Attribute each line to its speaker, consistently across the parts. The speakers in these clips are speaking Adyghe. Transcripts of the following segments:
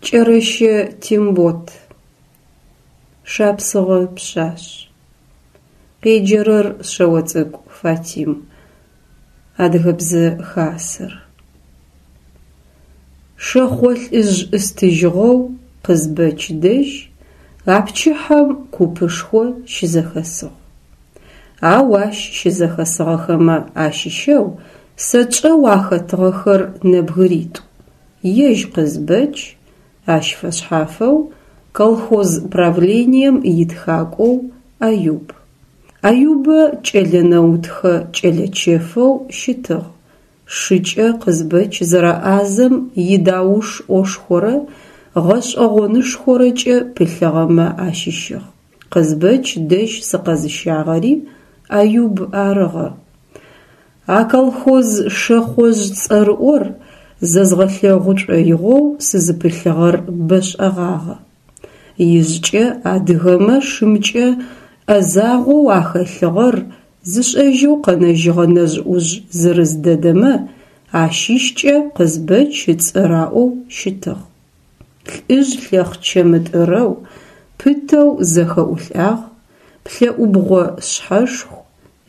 Speaker 1: Кӏэрэщэ Тембот. Шапсыгъэ пшъашъ. Къеджэрэр Шъэоцӏыкӏу Фатим. Адыгэбзэ хасэр. Шэхъо лӏыжъ ӏыстыжьыгъэу Къызбэч дэжь а пчыхьэм купышхо щызэхэсыгъ. Ау ащ щызэхэсыгъэхэмэ ащыщэу сэ чӏэу ахэтыгъэхэр нэбгыритӏу, ежь Къызбэч, ащ фэшъхьафэу колхоз правлением итхакӏоу Аюб. Аюбэ кӏэлэ нэутхэ кӏэлэ чэфэу щытыгъ, шыкӏэ Къызбэч зэрэӏазэм идауш ӏошхорэ гъэшӏэгъонышхорэкӏэ пылъыгъэмэ ащыщыгъ. Къызбэч дэжь сыкъэзыщагъэри Аюб арыгъэ. А колхоз шэхъожъ цӏэрыӏор зэзгъэлъэгъу шӏоигъоу сызыпылъыгъэр бэшӏэгъагъэ. Ижъкӏэ адыгэмэ шымкӏэ ӏэзагъоу ахэлъыгъэр зышӏэжьэу къэнэжьыгъэ нэжъ-ӏужъ зырыз дэдэмэ ащыщкӏэ Къызбэч ыцӏэ раӏоу щытыгъ. Лӏыжъ лъэхъчэ мытӏырэу, пытэу зэхэӏулӏагъ, плӏэӏубгъо шъхьэшху,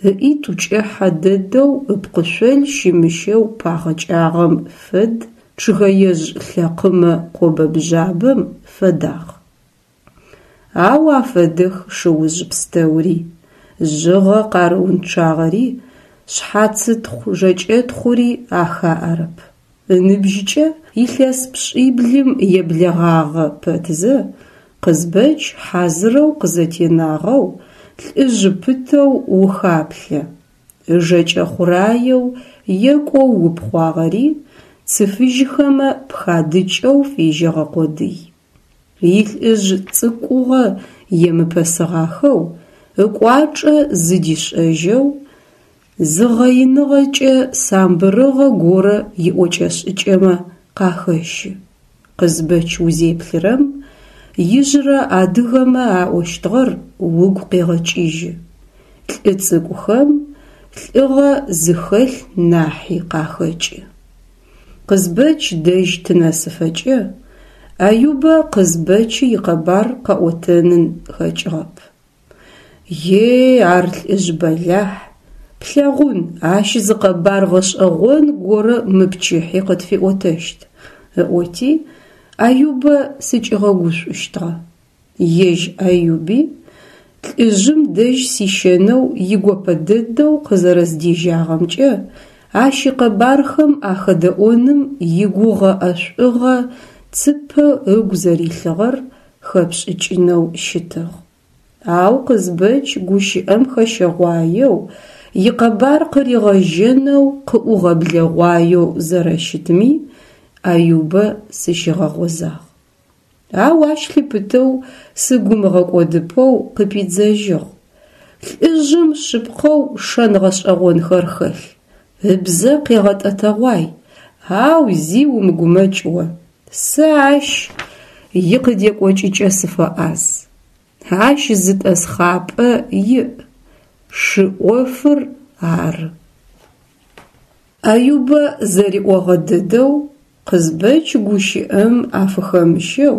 Speaker 1: ыӏитӏу кӏыхьэ дэдэу ыпкъышъол щымыщэу пагъэкӏагъэм фэд чъыгэежъ лъэкъымэ къобэ-бжъабэм фэдагъ. Ау афэдэх шыужъ пстэури, жъыгъэ къарыунчъагъэри, шъхьацытхъу-жэкӏэтхъури ахаӏэрэп. Ыныбжькӏэ илъэс пшӏиблым еблэгъагъэ пэтзэ, Къызбэч хьазырэу къызэтенагъэу, лӏыжъ пытэу ухаплъэ. Ыжэкӏэ хъураеу екӏоу упхъуагъэри цы фыжьхэмэ пхадыкӏэу фежьэгъэ къодый. Илӏыжъ цӏыкӏугъэ емыпэсыгъахэу, ыкӏуачӏэ зыдишӏэжьэу, зыгъэиныгъэкӏэ самбырыгъэ горэ иӏокӏэ-шӏыкӏэмэ къахэщы. Къызбэч узеплъырэм, ижъырэ адыгэмэ аӏощтыгъэр угу къегъэкӏыжьы: лӏы цӏыкӏухэм лӏыгъэ зыхэлъ нахьи къахэкӏы. Къызбэч дэжь тынэсыфэкӏэ Аюбэ Къызбэчы икъэбар къэӏотэнын хэкӏыгъэп. Е, ар лӏыжъ бэлахь, плъэгъун, ащ зы къэбар гъэшӏэгъон горэ мы пчыхьи къытфиӏотэщт, ыӏоти, Аюбэ сыкӏигъэгушӏущтыгъэ. Ежь Аюби лӏыжъым дэжь сищэнэу игопэ дэдэу къызэрэздежьагъэмкӏэ ащ икъэбархэм ахэдэӏоным игугъэ-ӏэшӏугъэ цыпэ ыгу зэрилъыгъэр хэпшӏыкӏынэу щытыгъ. Ау Къызбэч гущыӏэм хэщэгъуаеу, икъэбар къыригъэжьэнэу къыӏугъэблэгъуаеу зэрэщытми Аюбэ сыщигъэгъозагъ. Ау ащ лъыпытэу сыгу ымыгъэкӏодыпэу къыпидзэжьыгъ. Лӏыжъым шъыпкъэу шэн гъэшӏэгъонхэр хэлъ, ыбзэ къегъэтӏэтэгъуай, ау зи умыгумэкӏ о, сэ ащ икъыдекӏокӏыкӏэ сыфэӏаз. Ащ зы тӏэсхъапӏэ иӏ, шы ӏофыр ары. Аюбэ зэриӏогъэ дэдэу Къызбэч гущыӏэм афыхэмыщэу,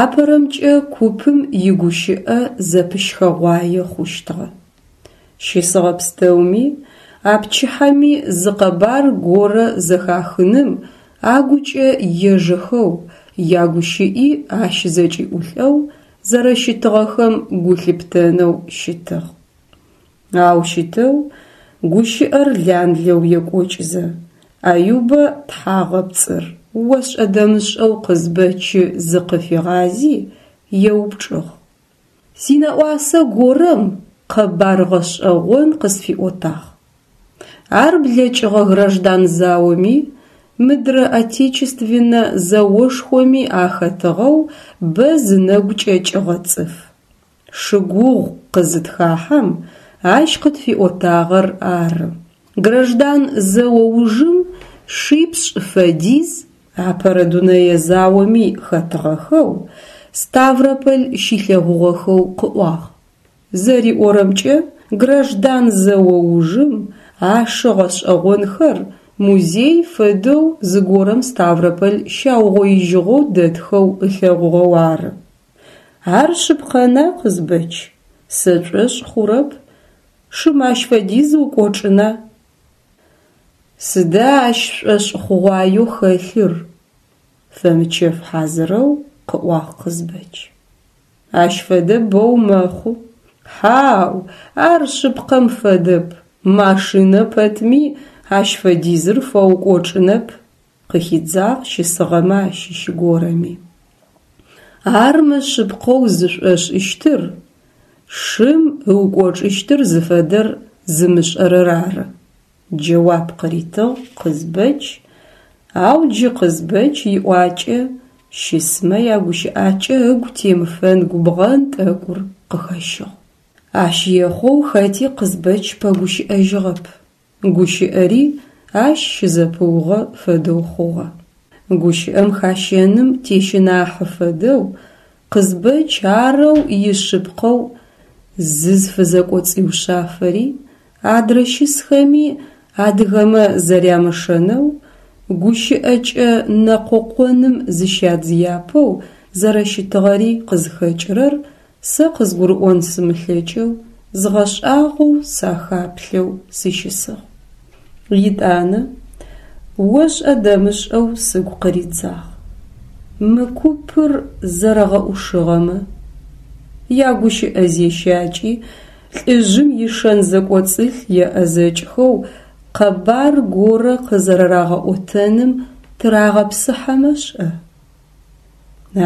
Speaker 1: апэрэмкӏэ купым игущыӏэ зэпыщхэгъуае хъущтыгъэ. Щысыгъэ пстэуми а пчыхьэми зы къэбар горэ зэхахыным агукӏэ ежэхэу, ягущыӏи ащ зэкӏиӏулӏэу зэрэщытыгъэхэм гу лъыптэнэу щытыгъ. Ау щытэу гущыӏэр ланлэу екӏокӏызэ, Аюбэ тхьагъэпцӏыр ошӏэ-дэмышӏэу Къызбэчы зыкъыфигъази, еупчӏыгъ. Синэӏуасэ горэм къэбар гъэшӏэгъон къысфиӏотагъ. Ар блэкӏыгъэ граждан заоми, мыдрэ Отечественнэ зэошхоми ахэтыгъэу бэ зынэгу кӏэкӏыгъэ цӏыф. Шы гугъу къызытхахьэм, ащ къытфиӏотагъэр ары. Граждан зэо ужым шипшӏ фэдиз Апэрэ дунэе заоми хэтыгъэхэу, Ставрополь щилъэгъугъэхэу къыӏуагъ. Зэриӏорэмкӏэ, граждан зэо ужым а шы гъэшӏэгъонхэр музей фэдэу зыгорэм Ставрополь щаугъоижьыгъэу дэтхэу ылъэгъугъэу ары. Ар шъыпкъэна, Къызбэч? Сэ сшӏошъ хъурэп. Шым ащ фэдиз ыукӏочӏына? Сыда ащ шӏошъхъугъуаеу хэлъыр? Фэмычэф хьазырэу къыӏуагъ Къызбэч. Ащ фэдэ бэу мэхъу. Хьау, ар шъыпкъэм фэдэп, машинэ пэтми ащ фэдизыр фэукӏочӏынэп, къыхидзагъ щысыгъэмэ ащыщ горэми. Ар мышъыпкъэу зышӏошӏыщтыр шым ыукӏочӏыщтыр зыфэдэр зымышӏэрэр ары, джэуап къыритыгъ Къызбэч, ау джы Къызбэч иӏуакӏэ щысмэ ягущыӏакӏэ ыгу темыфэн губгъэн тӏэкӏур къыхэщыгъ. Ащ ехъоу хэти Къызбэч пэгущыӏэжьыгъэп. Гущыӏэри ащ щызэпыугъэ фэдэу хъугъэ. Гущыӏэм хащэным тещынахьы фэдэу Къызбэч арэу ишъыпкъэу зызфызэкӏоцӏиушъафэри, адрэ щысхэми адыгэмэ зэрямышэнэу гущыӏэкӏэ нэкъокъоным зыщадзыяпэу зэрэщытыгъэри къызхэкӏырэр сэ къызгурыӏон сымылъэкӏэу, згъэшӏагъоу сахаплъэу сыщысыгъ. Етӏанэ ошӏэ-дэмышӏэу сыгу къыридзагъ. Мы купыр зэрэгъэӏушыгъэмэ, ягущыӏэ зещакӏи лӏыжъым ишэн зэкӏоцӏылъ еӏэзэкӏхэу къэбар горэ къызэрэрагъэӏотэным тырагъэпсыхьэмэ шӏэ?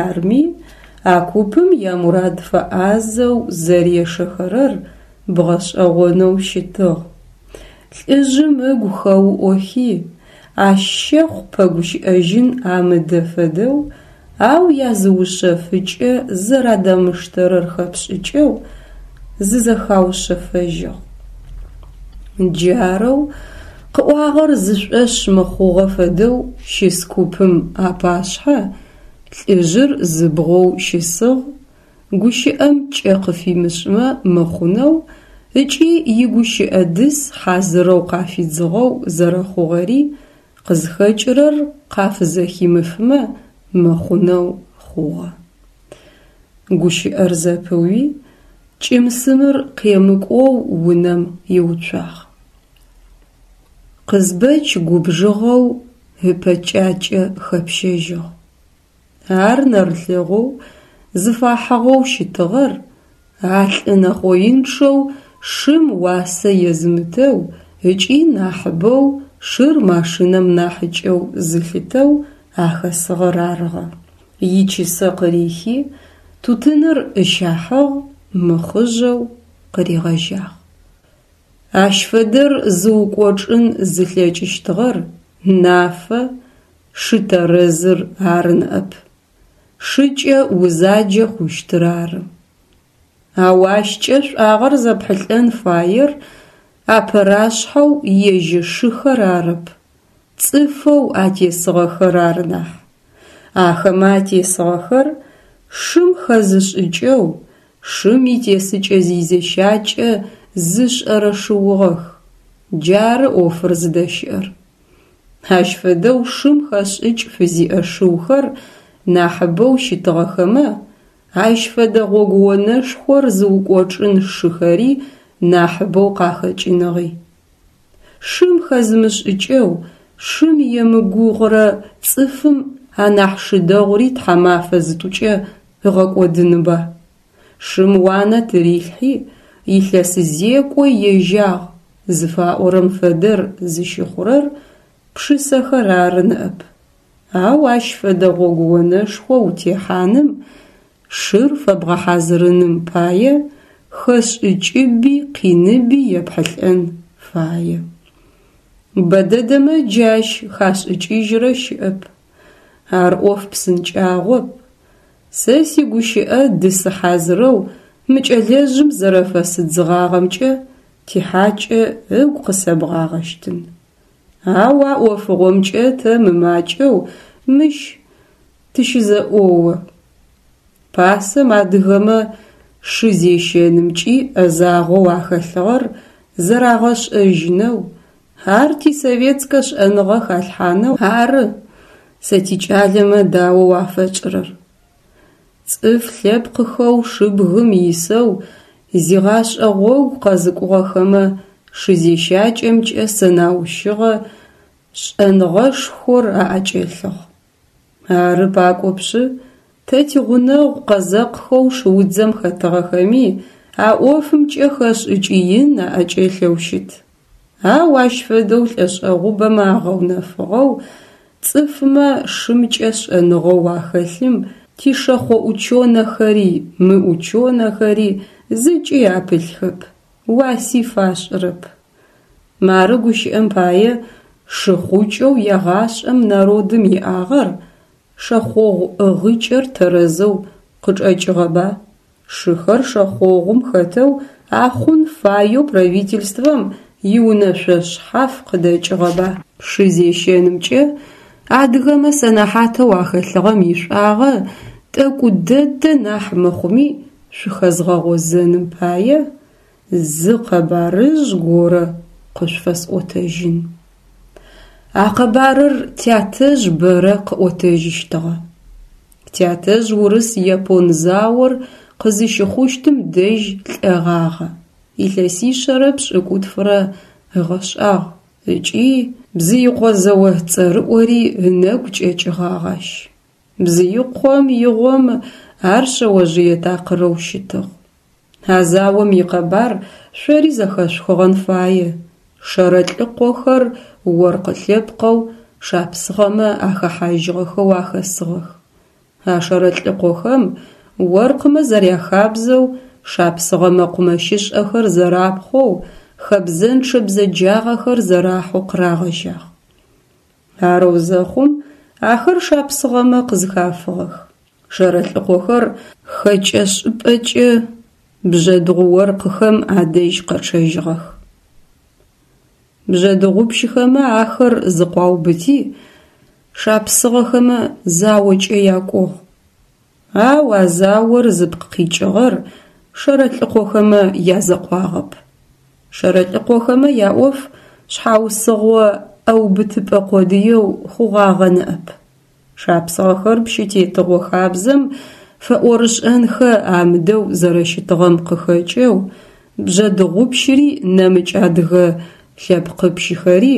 Speaker 1: Арми, а купым ямурад фэӏазэу зэрешэхэрэр бгъэшӏэгъонэу щытыгъ. Лӏыжъым ыгу хэуӏохи, ащ щэхъу пэгущыӏэжьын амыдэ фэдэу, ау языушъэфыкӏэ зэрадамыштэрэр хэпшӏыкӏэу, зызэхаушъэфэжьыгъ. Джарэу къыӏуагъэр зышӏошъ мыхъугъэ фэдэу щыс купым апашъхьэ лӏыжъыр зыбгъоу щысыгъ, гущыӏэм кӏэ къыфимышӏмэ мыхъунэу ыкӏи игущыӏэ дыс хьазырэу къафидзыгъэу зэрэхъугъэри къызхэкӏырэр къафызэхимыфмэ мыхъунэу хъугъэ. Гущыӏэр зэпыуи, кӏым-сымыр къемыкӏоу унэм иуцуагъ. Къызбэч губжыгъэу ыпэкӏакӏэ хэпщэжьыгъ. Ар нэрылъэгъоу зыфахьыгъэу щытыгъэр а лӏы нэхъоинчъэу шым уасэ езымытэу ыкӏи нахьыбэу шыр машинэм нахьыкӏэу зылъытэу ахэсыгъэр арыгъэ. Ичысэ къырихи, тутыныр ыщахьыгъ, мыхъыжъэу къыригъэжьагъ. Ащ фэдэр зыукӏочӏын зылъэкӏыщтыгъэр нафэ, шы тэрэзыр ары ныӏэп. Шыкӏэ узаджэ хъущтыр ары. Ау ащкӏэ шӏуагъэр зэпхьылӏэн фаер апэрашъхьэу ежь шыхэр арэп, цӏыфэу атесыгъэхэр ары нахь. Ахэмэ атесыгъэхэр шым хэзышӏыкӏэу, шым итесыкӏэ-зизещакӏэ зышӏэрэ шыугъэх. Джары ӏофыр зыдэщыӏэр. Ащ фэдэу шым хэшӏыкӏ фызиӏэ шыухэр нахьыбэу щытыгъэхэмэ, ащ фэдэ гъогуонэшхор зыукӏочӏын шыхэри нахьыбэу къахэкӏыныгъи. Шым хэзымышӏыкӏэу, шым емыгугъурэ цӏыфым анахь шы дэгъури тхьамафэ зытӏукӏэ ыгъэкӏодынба? Шым уанэ тырилъхьи, илъэс зекӏо ежьагъ зыфаӏорэм фэдэр зыщыхъурэр пшысэхэр ары ныӏэп. Ау ащ фэдэ гъогуонэшхо утехьаным, шыр фэбгъэхьазырыным пае хэшӏыкӏыби къиныби епхьылӏэн фае. Бэдэдэмэ джы ащ хашӏыкӏыжьрэ щыӏэп. Ар ӏоф псынкӏагъоп. Сэ сигущыӏэ дысы хьазырэу мы кӏэлэжъым зэрэфэсыдзыгъагъэмкӏэ тихьакӏэ ыгу къысэбгъагъэщтын. Ау а ӏофыгъомкӏэ тэ мымакӏэу мыщ тыщызэӏоо. Пасэм адыгэмэ шы зещэнымкӏи ӏэзагъэу ахэлъыгъэр зэрагъэшӏэжьынэу, Ар тисоветскэ шӏэныгъэ халъхьанэу ары сэ тикӏалэмэ даоу афэтшӏырэр. Цӏыф лъэпкъыхэу шыбгым исэу зигъашӏэ гъогу къэзыкӏугъэхэмэ шызещакӏэмкӏэ сэнаущыгъэ шӏэныгъэшхор аӏэкӏэлъыгъ. Ары пакӏопшъы, тэ тигъунэгъу къэзэкъхэу шыудзэм хэтыгъэхэми а ӏофымкӏэ хэшӏыкӏ ин аӏэкӏэлъэу щыт. Ау ащ фэдэу лӏэшӏэгъубэмэ агъэунэфыгъэу цӏыфмэ шымкӏэ шӏэныгъэу ахэлъым тишэхъо ученэхэри мыученэхэри зыкӏи апылъхэп, уаси фашӏырэп. Мары гущыӏэм пае шыхъукӏэу егъашӏэм народым иӏагъэр шэхъогъу ӏыгъыкӏэр тэрэзэу къычӏэкӏыгъэба? Шыхэр шэхъогъум хэтэу ахъун фаеу правительствэм иунэшъо шъхьаф къыдэкӏыгъэба? Шы зещэнымкӏэ адыгэмэ сэнэхьатэу ахэлъыгъэм ишӏуагъэ тӏэкӏу дэдэ нахь мыхъуми шъухэзгъэгъозэным пае зы къэбарыжъ горэ къышъуфэсӏотэжьын. А къэбарыр тятэжъ бэрэ къыӏотэжьыщтыгъэ. Тятэжъ урыс-япон заор къызыщыхъущтым дэжь лӏэгъагъэ, илъэсишъэрэ пшӏыкӏутфырэ ыгъэшӏагъ ыкӏи Бзыикъо зэо цӏэрыӏори ынэгу кӏэкӏыгъагъ ащ. Бзыикъом игъом ар шъэожъые такъырэу щытыгъ. А заом икъэбар шъори зэхэшъухыгъэн фае, Шэрэлӏыкъохэр оркъы лъэпкъэу шапсыгъэмэ ахэхьажьыгъэхэу ахэсыгъэх. А Шэрэлӏыкъохэм оркъымэ зэряхабзэу шапсыгъэ мэкъумэщышӏэхэр зэрапхъоу, хэбзэнчъэ бзэджагъэхэр зэрахьэу къырагъэжьагъ. Арэу зэхъум ахэр шапсыгъэмэ къызхафыгъэх. Шэрэлӏыкъохэр хэкӏэ шӏыпӏэкӏэ бжъэдыгъу оркъыхэм адэжь къэчъэжьыгъэх. Бжъэдыгъупщыхэмэ ахэр зыкъуаубыти, шапсыгъэхэмэ заокӏэ якӏугъ. Ау а заор зыпкъ къикӏыгъэр Шэрэлӏыкъохэмэ язэкъуагъэп. Шэрэлӏыкъохэмэ яӏоф шъхьаусыгъо ӏэубытыпӏэ къодыеу хъугъагъэ ныӏэп. Шапсыгъэхэр пщытетыгъо хабзэм фэӏорышӏэнхэ амыдэу зэрэщытыгъэм къыхэкӏэу бжъэдыгъупщыри нэмыкӏ адыгэ лъэпкъыпщыхэри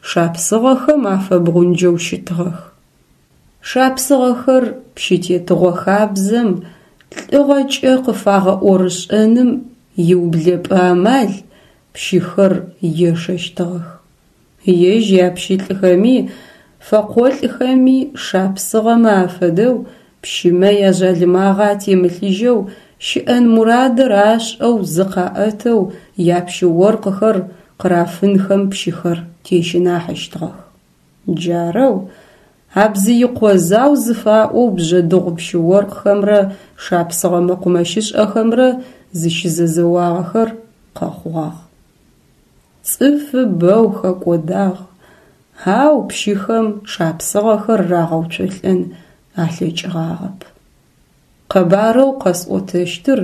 Speaker 1: шапсыгъэхэм афэбгъунджэу щытыгъэх. Шапсыгъэхэр пщытетыгъо хабзэм лӏыгъэкӏэ къыфагъэӏорышӏэным иублэпӏэ амал пщыхэр ешэщтыгъэх. Ежь япщылӏхэми фэкъолӏхэми шапсыгъэмэ афэдэу пщымэ яжъалымагъэ атемылъыжьэу щыӏэн мурадыр ашӏэу зыкъаӏэтэу япщы-оркъыхэр къырафынхэм пщыхэр тещынахьыщтыгъэх. Джарэу а Бзыикъо зау зыфаӏоу бжъэдыгъу пщы-оркъхэмрэ шапсыгъэ мэкъумэщышӏэхэмрэ зыщызэзэуагъэхэр къэхъугъагъ. Цӏыфы бэу хэкӏодагъ, ау пщыхэм шапсыгъэхэр рагъэуцолӏэн алъэкӏыгъагъэп. Къэбарэу къэсӏотэщтыр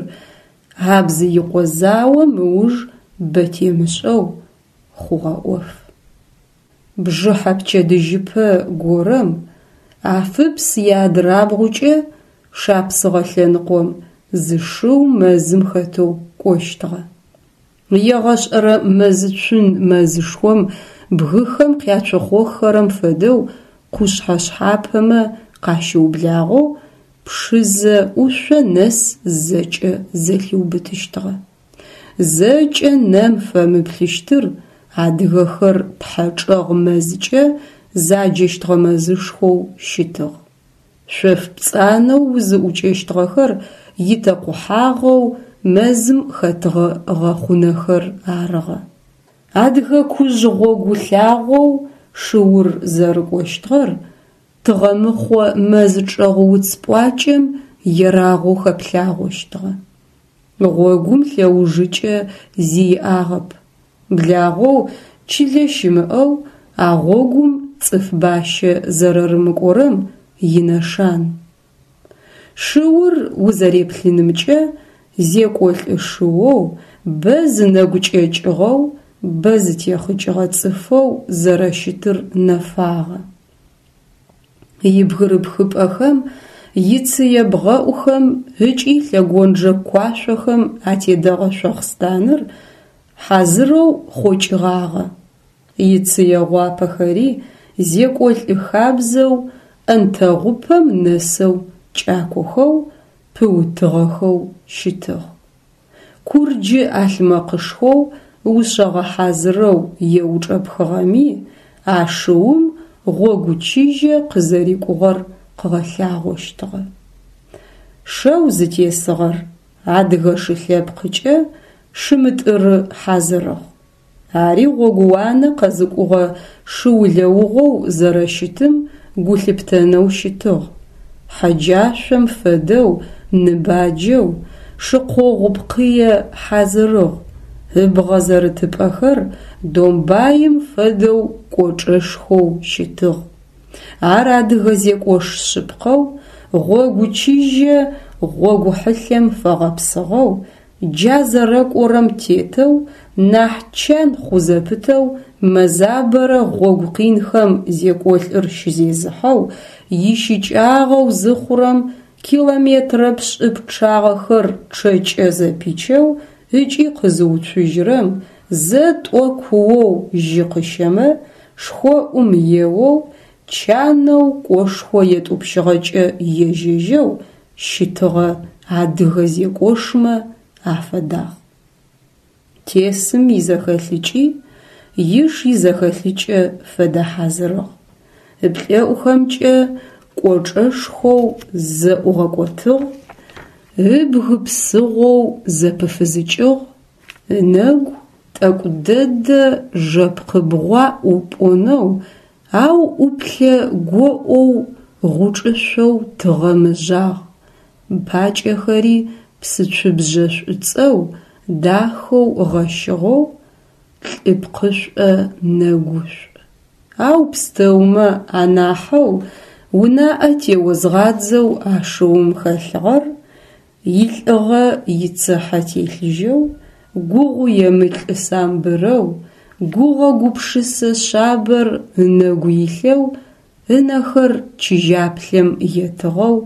Speaker 1: а Бзыикъо заом ыуж бэ темышӏэу хъугъэ ӏоф. Бжыхьэ пчэдыжьыпэ горэм Афыпс иадырабгъукӏэ шапсыгъэ лъэныкъом зы шыу мэзым хэтэу кӏощтыгъэ. Егъэшӏэрэ мэзыцун мэзышхом бгыхэм къяцохъоххэрэм фэдэу къушъхьэ шъхьапэмэ къащыублагъэу Пшызэ ӏушъо нэс зэкӏэ зэлъиубытыщтыгъэ. Зэкӏэ нэм фэмыплъыщтыр адыгэхэр тхьэчӏэгъ мэзкӏэ заджэщтыгъэ мэзышхоу щытыгъ. Шъоф пцӏанэу узыӏукӏэщтыгъэхэр итэкъухьагъэу мэзым хэтыгъэ гъэхъунэхэр арыгъэ. Адыгэ кужъ гъогу лъагъоу шыур зэрыкӏощтыгъэр тыгъэмыхъо мэз чӏэгъ уц пӏуакӏэм ерагъоу хэплъагъощтыгъэ. Гъогум лъэужыкӏэ зи иӏагъэп. Благъэу чылэ щымыӏэу а гъогум цӏыф бащэ зэрэрымыкӏорэм инэшан. Шыур узэреплъынымкӏэ зекӏолӏы шыоу, бэ зынэгу кӏэкӏыгъэу, бэ зытехъукӏыгъэ цӏыфэу зэрэщытыр нэфагъэ. Ибгырыпхыпӏэхэм, ицые бгъэӏухэм ыкӏи лъэгонджэ куашъохэм атедэгъэ шъохъстаныр хьазырэу хъокӏыгъагъэ. Ицые гъуапэхэри зекӏолӏ хабзэу ӏэнтэгъупэм нэсэу кӏакохэу, пыутыгъэхэу щытыгъ. Курджы ӏалъмэкъышхоу ушъэгъэ хьазырэу еучӏэпхыгъэми а шыум гъогу чыжьэ къызэрикӏугъэр къыгъэлъагъощтыгъэ. Шэу зытесыгъэр адыгэ шы лъэпкъыкӏэ шымытӏыры хьазырыгъ. Ари гъогууанэ къэзыкӏугъэ шы улэугъоу зэрэщытым гу лъыптэнэу щытыгъ. Хьэджашъом фэдэу ныбаджэу, шыкъогъу пкъые хьазырыгъ, ыбгъэ зэрытыпӏэхэр домбаим фэдэу кӏочӏэшхоу щытыгъ. Ар адыгэ зекӏош шъыпкъэу, гъогу чыжьэ гъогу хьылъэм фэгъэпсыгъэу, джа зэрэкӏорэм тетэу нахь чан хъу зэпытэу мэзабэрэ гъогу къинхэм зекӏолӏыр щызезыхьэу, ищыкӏагъэу зыхъурэм километрэ пшӏы пчъагъэхэр чъэкӏэ зэпичэу ыкӏи къызыуцужьырэм зэ-тӏо куоу жьы къыщэмэ, шхоӏум еоу, чанэу кӏошхо етӏупщыгъэкӏэ ежьэжьэу щытыгъэ адыгэ зекӏошмэ афэдагъ. Тесым изэхэлъыкӏи иш изэхэлъыкӏэ фэдэ хьазырыгъ. Ыплӏэӏухэмкӏэ кӏочӏэшхоу зэӏугъэкӏотыгъ, ыбг псыгъоу зэпыфызыкӏыгъ, ынэгу тӏэкӏу дэдэ жэпкъыбгъуаӏу пӏонэу, ау ӏуплъэ гоӏоу гъучӏышъоу тыгъэм ыжъагъ, пакӏэхэри псыцубжъэ шӏуцӏэу дахэу гъэщыгъэу, лӏы пкъышӏо нэгушӏу. Ау пстэумэ анахьэу унаӏэ теозгъадзэу а шыум хэлъыгъэр илӏыгъэ ицыхьэ телъыжьэу, гугъу емылӏы самбырэу, гугъэ-гупшысэ шъабэр ынэгу илъэу, ынэхэр чыжьаплъэм етыгъэу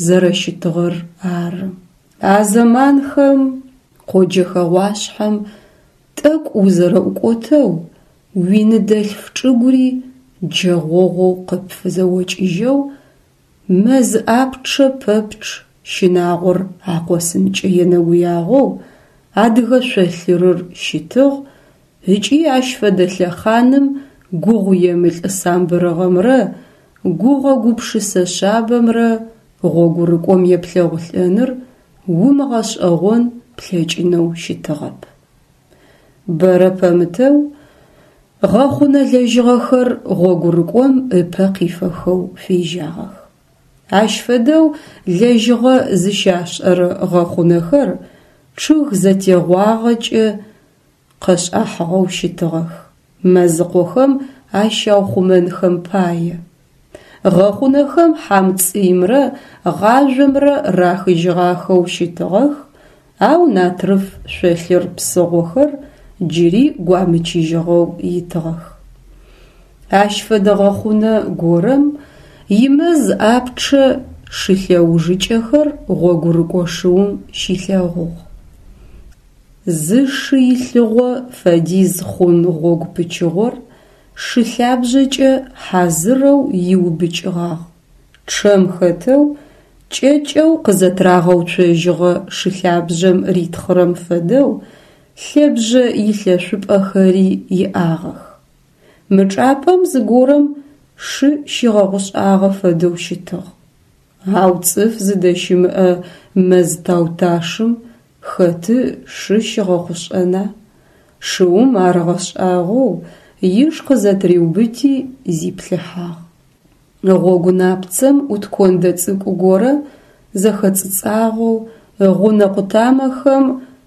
Speaker 1: зэрэщытыгъэр ары. А зэманхэм къоджэ хэгъуашъхьэм тӏэкӏу узэрэӏукӏотэу уиныдэлъф чӏыгури джэгъогъоу къыпфызэокӏыжьэу, мэз ӏапчъэ пэпчъ щынагъор акъосынкӏэ енэгуягъоу адыгэ шъолъырыр щытыгъ ыкӏи ащ фэдэ лъэхъаным гугъу емылӏы самбырыгъэмрэ гугъэ-гупшысэ шъабэмрэ гъогурыкӏом еплъэгъулӏэныр умыгъэшӏэгъон плъэкӏынэу щытыгъэп. Бэрэ пэмытэу гъэхъунэ лэжьыгъэхэр гъогурыкӏом ыпэ къифэхэу фежьагъэх. Ащ фэдэу лэжьыгъэ зыщашӏэрэ гъэхъунэхэр чъыг зэтегъуагъэкӏэ къэшӏахьыгъэу щытыгъэх, мэзыкъохэм ащаухъумэнхэм пае. Гъэхъунэхэм хьамцӏыимрэ гъажъомрэ рахыжьыгъахэу щытыгъэх, ау натрыф шъолъыр псыгъохэр джыри гуамычыжьыгъэу итыгъэх. Ащ фэдэ гъэхъунэ горэм имэз ӏапчъэ шы лъэужыкӏэхэр гъогурыкӏо шыум щилъэгъугъ. Зы шы илъыгъо фэдиз хъун гъогу пычыгъор шы лъабжъэкӏэ хьазырэу иубыкӏыгъагъ. Чъэм хэтэу кӏэкӏэу къызэтырагъэуцожьыгъэ шы лъабжъэм ритхъырэм фэдэу лъэбжъэ илъэшъупӏэхэри иӏагъэх. Мы чӏапӏэм зыгорэм шы щигъэгъушӏагъэ фэдэу щытыгъ. Ау цӏыф зыдэщымыӏэ мэз тауташым хэты шы щигъэхъушӏэна? Шыум ар ыгъэшӏагъоу иш къызэтыриубыти зиплъыхьагъ. Гъогу напцэм ӏут кондэ цӏыкӏу горэ зэхэцӏыцӏагъэу, ыгъунэ къутамэхэм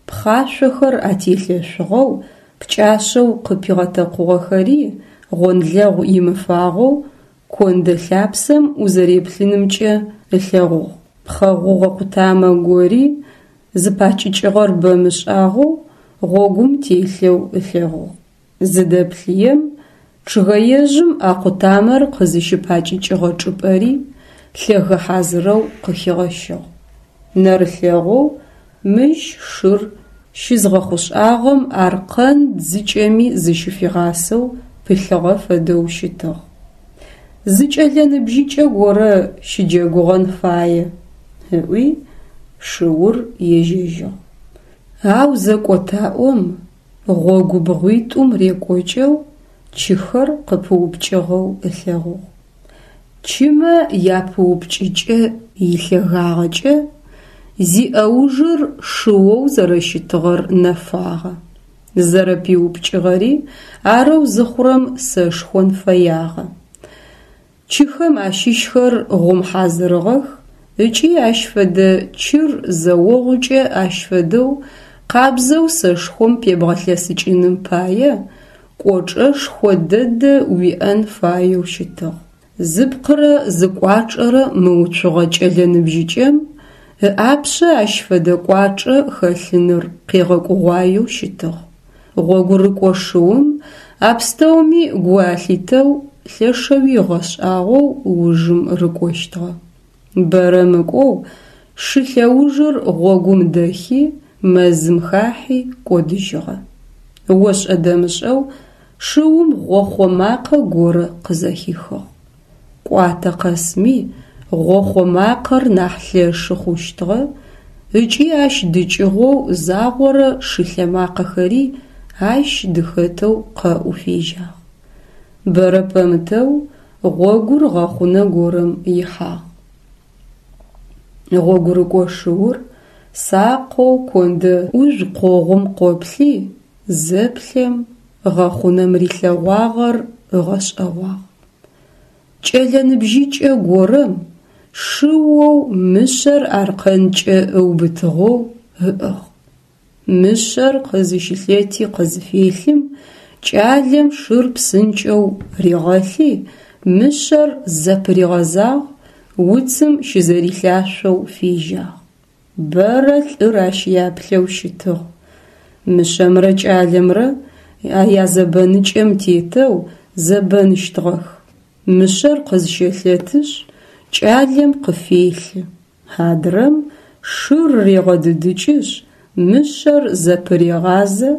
Speaker 1: пхъашъохэр ателъэшъугъэу, пкӏашъэу къыпигъэтэкъугъэхэри гъонлэгъу имыфагъэу кондэ лъапсэм узэреплъынымкӏэ ылъэгъугъ. Пхъэ гъугъэ къутамэ гори зыпакӏыкӏыгъэр бэмышӏагъэу гъогум телъэу ылъэгъугъ. Зыдэплъыем, чъыгэежъым а къутамэр къызыщыпакӏыкӏыгъэ чӏыпӏэри лъэгэ хьазырэу къыхигъэщыгъ. Нэрылъэгъоу мыщ шыр щызгъэхъушӏагъэм аркъэн дзыкӏэми зыщыфигъасэу пылъыгъэ фэдэу щытыгъ. Зы кӏэлэ ныбжьыкӏэ горэ щыджэгугъэн фае, ыӏуи шыур ежьэжьыгъ. Ау зэкӏотаӏом, гъогу бгъуитӏум рекӏокӏэу чыхэр къыпыупкӏыгъэу ылъэгъугъ. Чымэ япыупкӏыкӏэ илъэгагъэкӏэ зиӏэужыр шыоу зэрэщытыгъэр нэфагъэ. Зэрэпиупкӏыгъэри арэу зыхъурэм сэшхон фэягъэ. Чыхэм ащыщхэр гъум хьазырыгъэх ыкӏи ащ фэдэ чыр зэогъукӏэ ащ фэдэу къабзэу сэшхом пебгъэлъэсыкӏыным пае кӏочӏэшхо дэдэ уиӏэн фаеу щытыгъ. Зыпкъырэ зыкӏуачӏэрэ мыуцугъэ кӏэлэ ныбжьыкӏэм ыӏапшъэ ащ фэдэ кӏуачӏэ хэлъыныр къегъэкӏугъуаеу щытыгъ. Гъогурыкӏо шыум а пстэуми гу алъитэу лъэшэуи ыгъэшӏагъоу ужым рыкӏощтыгъэ. Бэрэ мыкӏоу шы лъэужыр гъогум дэхи, мэзым хахьи кӏодыжьыгъэ. Ошӏэ-дэмышӏэу шыум гъохъо макъэ горэ къызэхихыгъ. Кӏуатэ къэсми гъохъо макъэр нахь лъэшы хъущтыгъэ ыкӏи ащ дыкӏыгъоу загъорэ шы лъэмакъэхэри ащ дыхэтэу къэӏу фежьагъ. Бэрэ пэмытэу гъогур гъэхъунэ горэм ихьагъ. Гъогурыкӏо шыур сакъэу кондэ ӏужъу къогъум къоплъи, зэплъэм, гъэхъунэм рилъэгъуагъэр ыгъэшӏэгъуагъ. Кӏэлэ ныбжьыкӏэ горэм шыоу мышъэр аркъэнкӏэ ыубытыгъэу ыӏыгъ. Мышъэр къызыщылъэти къызфелъым, кӏалэм шыр псынкӏэу ригъэлъи, мышъэр зэпыригъэзагъ, уцым щызэрилъашъоу фежьагъ. Бэрэ лӏыр ащ яплъэу щытыгъ. Мышъэмрэ кӏалэмрэ язэбэныкӏэм тетэу зэбэныщтыгъэх. Мышъэр къызщэлъэтышъ, кӏалэм къыфелъы. Адрэм шыр регъэдыдыкӏышъ, мышъэр зэпырегъазэ,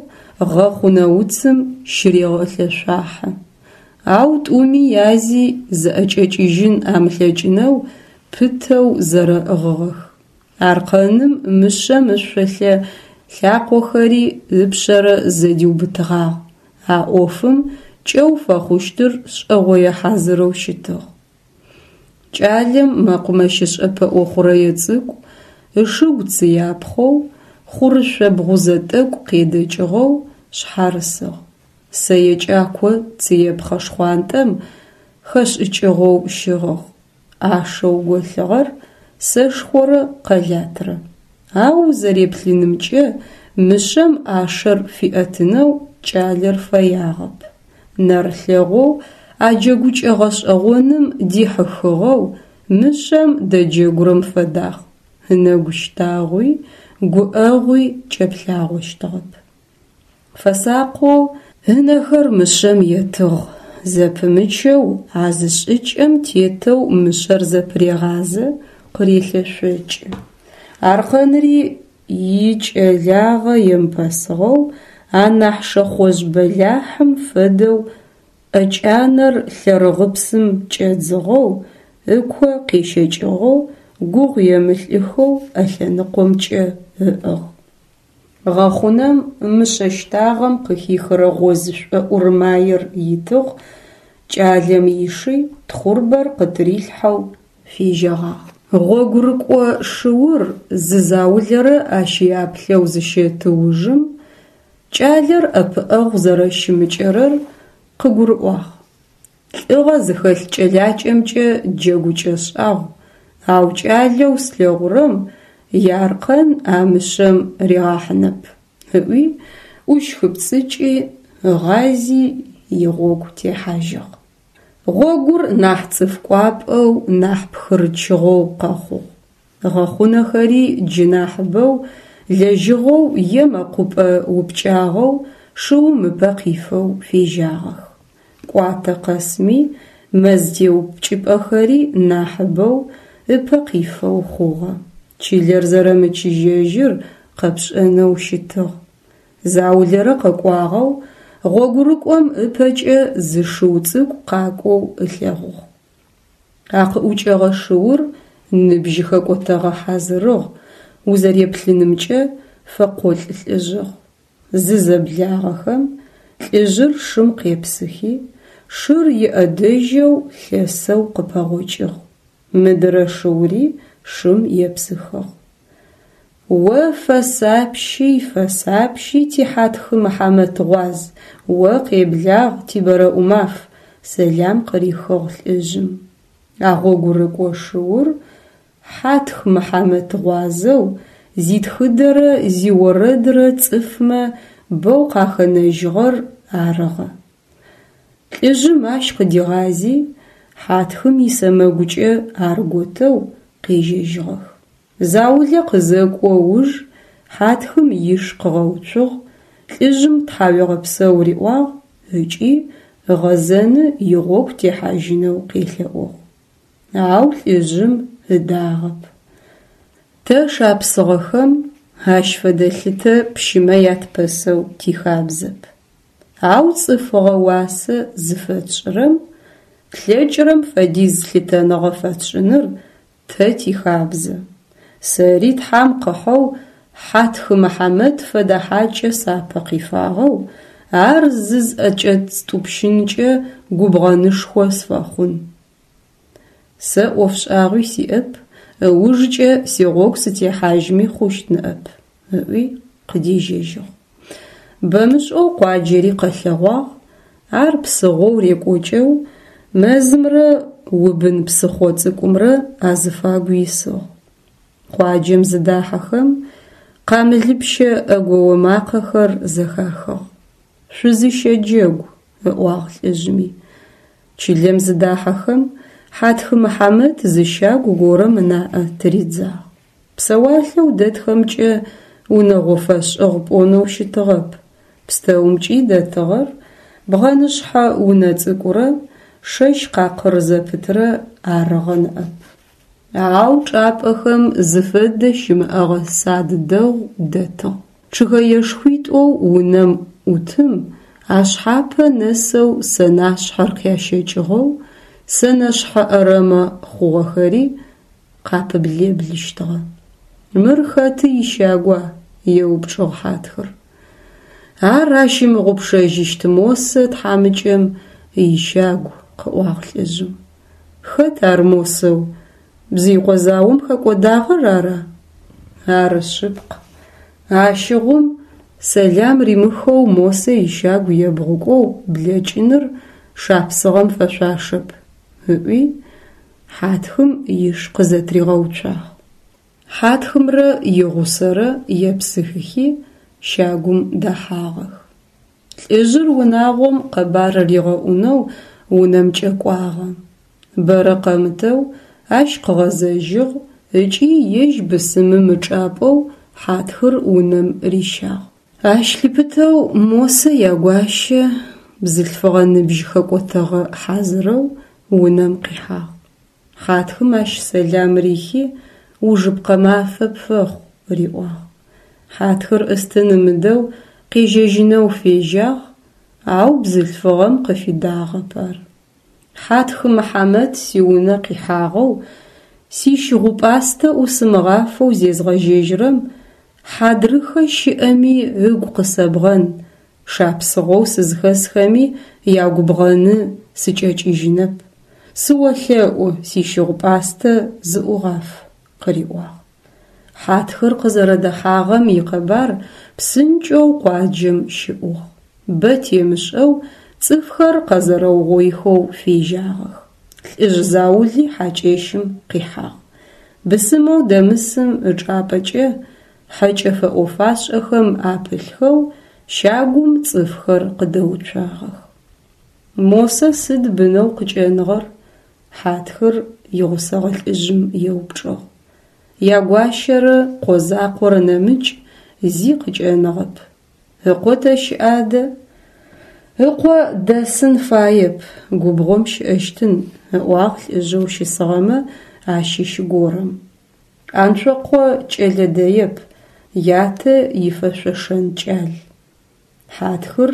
Speaker 1: гъэхъунэ уцым щырегъэлъэшъуахьы. Ау тӏуми язи зыӏэкӏэкӏыжьын амылъэкӏынэу пытэу зэрэӏыгъыгъэх. Аркъэным мышъэм ышъолъэ лъакъохэри ыпшъэрэ зэдиубытыгъагъ. А ӏофым кӏэу фэхъущтыр шӏэгъое хьазырэу щытыгъ. Кӏалэм мэкъумэщышӏэ пэӏо хъурэе цӏыкӏу, ышыгу цыяпхъэу, хъурышъо бгъузэ тӏэкӏу къедэкӏыгъэу шъхьарысыгъ. Сэе кӏако цыепхъэ шхъуантӏэм хэшӏыкӏыгъэу щыгъыгъ. ӏашэу голъыгъэр сэшхорэ къэлатрэ. Ау узэреплъынымкӏэ мышъэм ӏашэр фиӏэтынэу кӏалэр фэягъэп. Нэрылъэгъоу а джэгукӏэ гъэшӏэгъоным дихьыхыгъэу мышъэм дэджэгурэм фэдагъ, ынэгу щтагъуи гуӏэгъуи кӏэплъагъощтыгъэп. Фэсакъэу ынэхэр мышъэм етыгъ, зэпымычэу а зы шӏыкӏэм тетэу мышъэр зэпырегъазэ, къырелъэшъокӏы. Аркъэнри икӏэлагъэ емыпэсыгъэу, анахь шэхъожъ бэлахьым фэдэу ӏэкӏанэр лъэрыгъыпсым кӏэдзыгъэу, ыко къещэкӏыгъэу, гугъу емылӏыхэу ӏэлъэныкъомкӏэ ыӏыгъ. Гъэхъунэм мышъэ щтагъэм къыхихырэ гъозышӏо ӏурмаер итыгъ, кӏалэм иши тхъурбэр къытырилъхьэу фежьэгъагъ. Гъогурыкӏо шыур зы заулэрэ ащ яплъэу зыщэты ужым, кӏалэр ӏэпыӏэгъу зэрэщымыкӏэрэр къыгурыӏуагъ. Лӏыгъэ зыхэлъ кӏэлакӏэмкӏэ джэгукӏэ шӏагъу, ау кӏалэу слъэгъурэм иаркъэн а мышъэм ригъахьынэп, ыӏуи, ӏущхыпцӏыкӏи, ыгъази игъогу техьажьыгъ. Гъогур нахь цӏыф кӏуапӏэу, нахь пхырычыгъэу къэхъугъ. Гъэхъунэхэри джы нахьыбэу лэжьыгъэу е мэкъупӏэ упкӏагъэу шыум ыпэ къифэу фежьагъэх. Кӏуатэ къэсми мэз теупкӏыпӏэхэри нахьыбэу ыпэ къифэу хъугъэ. Чылэр зэрэмычыжьэжьыр къэпшӏэнэу щытыгъ. Заулэрэ къэкӏуагъэу гъогурыкӏом ыпэкӏэ зы шыу цӏыкӏу къакӏоу ылъэгъугъ. А къыӏукӏэгъэ шыур ныбжь хэкӏотэгъэ хьазырыгъ, узэреплъынымкӏэ фэкъолӏ лӏыжъыгъ. Зызэблагъэхэм, лӏыжъыр шым къепсыхи, шыр иӏэдэжьэу лъэсэу къыпэгъокӏыгъ. Мыдырэ шыури шым епсыхыгъ. О фэсапщи, фэсапщи, ти Хьатхы Мыхьамэт гъуаз, о къеблагъ, ти Бэрэӏумаф, сэлам къырихыгъ лӏыжъым. А гъогурыкӏо шыур Хьатх Мыхьамэт гъуазэу зитхыдэрэ зиорэдрэ цӏыфмэ бэу къахэнэжьыгъэр арыгъэ. Лӏыжъым ащ къыдигъази, Хьатхым исэмэгукӏэ ар готэу къежьэжьыгъэх. Заулэ къызэкӏо уж Хьатхым иш къыгъэуцугъ, лӏыжъым тхьауегъэпсэу риӏуагъ ыкӏи ыгъэзэны игъогу техьажьынэу къелъэӏугъ. Ау лӏыжъым ыдагъэп. Тэ, шапсыгъэхэм, ащ фэдэ лъытэ пщымэ ятпэсэу тихабзэп. Ау цӏыфыгъэ уасэ зыфэтшӏырэм тлъэкӏырэм фэдиз лъытэныгъэ фэтшӏыныр тэ тихабзэ. Сэри Тхьам къыхьэу Хьатхы Мыхьамэт фэдэ хьакӏэ сапэ къифагъэу, ар зызӏэкӏэстӏупщынкӏэ губгъэнышхо сфэхъун. Сэ ӏофшӏагъуи сиӏэп, ыужкӏэ сигъогу сытехьажьми хъущт ныӏэп, ыӏуи къыдежьэжьыгъ. Бэмышӏэу къуаджэри къэлъэгъуагъ, ар псыгъоу рекӏокӏэу мэзымрэ Убын псыхъо цӏыкӏумрэ азыфагу исыгъ. Къуаджэм зыдахьэхэм, къамылыпщэ ӏэгоо макъэхэр зэхахыгъ. Шъузыщэджэгу, ыӏуагъ лӏыжъми. Чылэм зыдахьэхэм, Хьатхы Мыхьамэт зы щагу горэм ынаӏэ тыридзагъ. Псэуалъэу дэтхэмкӏэ унэгъо фэшӏыгъ пӏонэу щытыгъэп. Пстэумкӏи дэтыгъэр бгъэнышъхьэ унэ цӏыкӏурэ шэщ къакъыр зэпытрэ арыгъэ ныӏэп. Ау чӏапӏэхэм зыфэдэ щымыӏэгъэ сад дэгъу дэтыгъ. Чъыгэешхуитӏоу унэм ӏутым ашъхьапэ нэсэу сэнашъхьэр къящэкӏыгъэу, сэнэшъхьэ ӏэрэмэ хъугъэхэри къапыблэблыщтыгъэ. Мыр хэты ищагуа? еупчӏыгъ Хьатхыр. Ар ащымыгъупшэжьыщт Мосэ тхьамыкӏэм ищагу, къыӏуагъ лӏыжъым. Хэт ар Мосэу? Бзыикъо заом хэкӏодагъэр ара? Ары шъыпкъ. Ащыгъум сэлам римыхэу Мосэ ищагу ебгъукӏоу блэкӏыныр шапсыгъэм фэшъуашэп, ыӏуи, Хьатхым иш къызэтригъэуцуагъ. Хьатхымрэ игъусэрэ епсыхыхи, щагум дэхьагъэх. Лӏыжъыр унагъом къэбар ригъэӏунэу унэмкӏэ кӏуагъэ. Бэрэ къэмытэу ащ къыгъэзэжьыгъ ыкӏи ежь бысымым ычӏапӏэу Хьатхыр унэм рищагъ. Ащ лъыпытэу Мосэ ягуащэ бзылъфыгъэ ныбжь хэкӏотэгъэ хьазырэу унэм къихьагъ. Хьатхым ащ сэлам рихи, ужыпкъэ мафэ пфэхъу, риӏуагъ. Хьатхыр ӏыстын ымыдэу къежьэжьынэу фежьагъ, ау бзылъфыгъэм къыфидагъэп ар. Хьатх Мыхьамэт сиунэ къихьагъэу, сищыгъупӏастэ ӏусымыгъафэу зезгъэжьэжьырэм, хьадрыхэ щыӏэми ыгу къысэбгъэн, шапсыгъэу сызхэсхэми ягубгъэны сыкӏэкӏыжьынэп. Сыолъэӏу, сищыгъупӏастэ зыӏугъаф, къыриӏуагъ. Хьатхыр къызэрэдэхьагъэм икъэбар псынкӏэу къуаджэм щыӏугъ. Бэ темышӏэу цӏыфхэр къэзэрэугъоихэу фежьагъэх. Лӏыжъ заули хьакӏэщым къихьагъ. Бысымэу дэмысым ычӏапӏэкӏэ хьэкӏэ фэӏофашӏэхэм апылъхэу щагум цӏыфхэр къыдэуцуагъэх. Мосэ сыд бынэу къыкӏэныгъэр? Хьатхыр игъусэгъэ лӏыжъым еупчӏыгъ. Ягуащэрэ къо закъорэ нэмыкӏ зи къыкӏэныгъэп. Ыкъо тэ щыӏ адэ? Ыкъо дэсын фаеп, губгъом щыӏэщтын, ыӏуагъ лӏыжъэу щысыгъэмэ ащыщ горэм. Анцокъо кӏэлэ дэеп, ятэ ифэшъошэн кӏал. Хьатхыр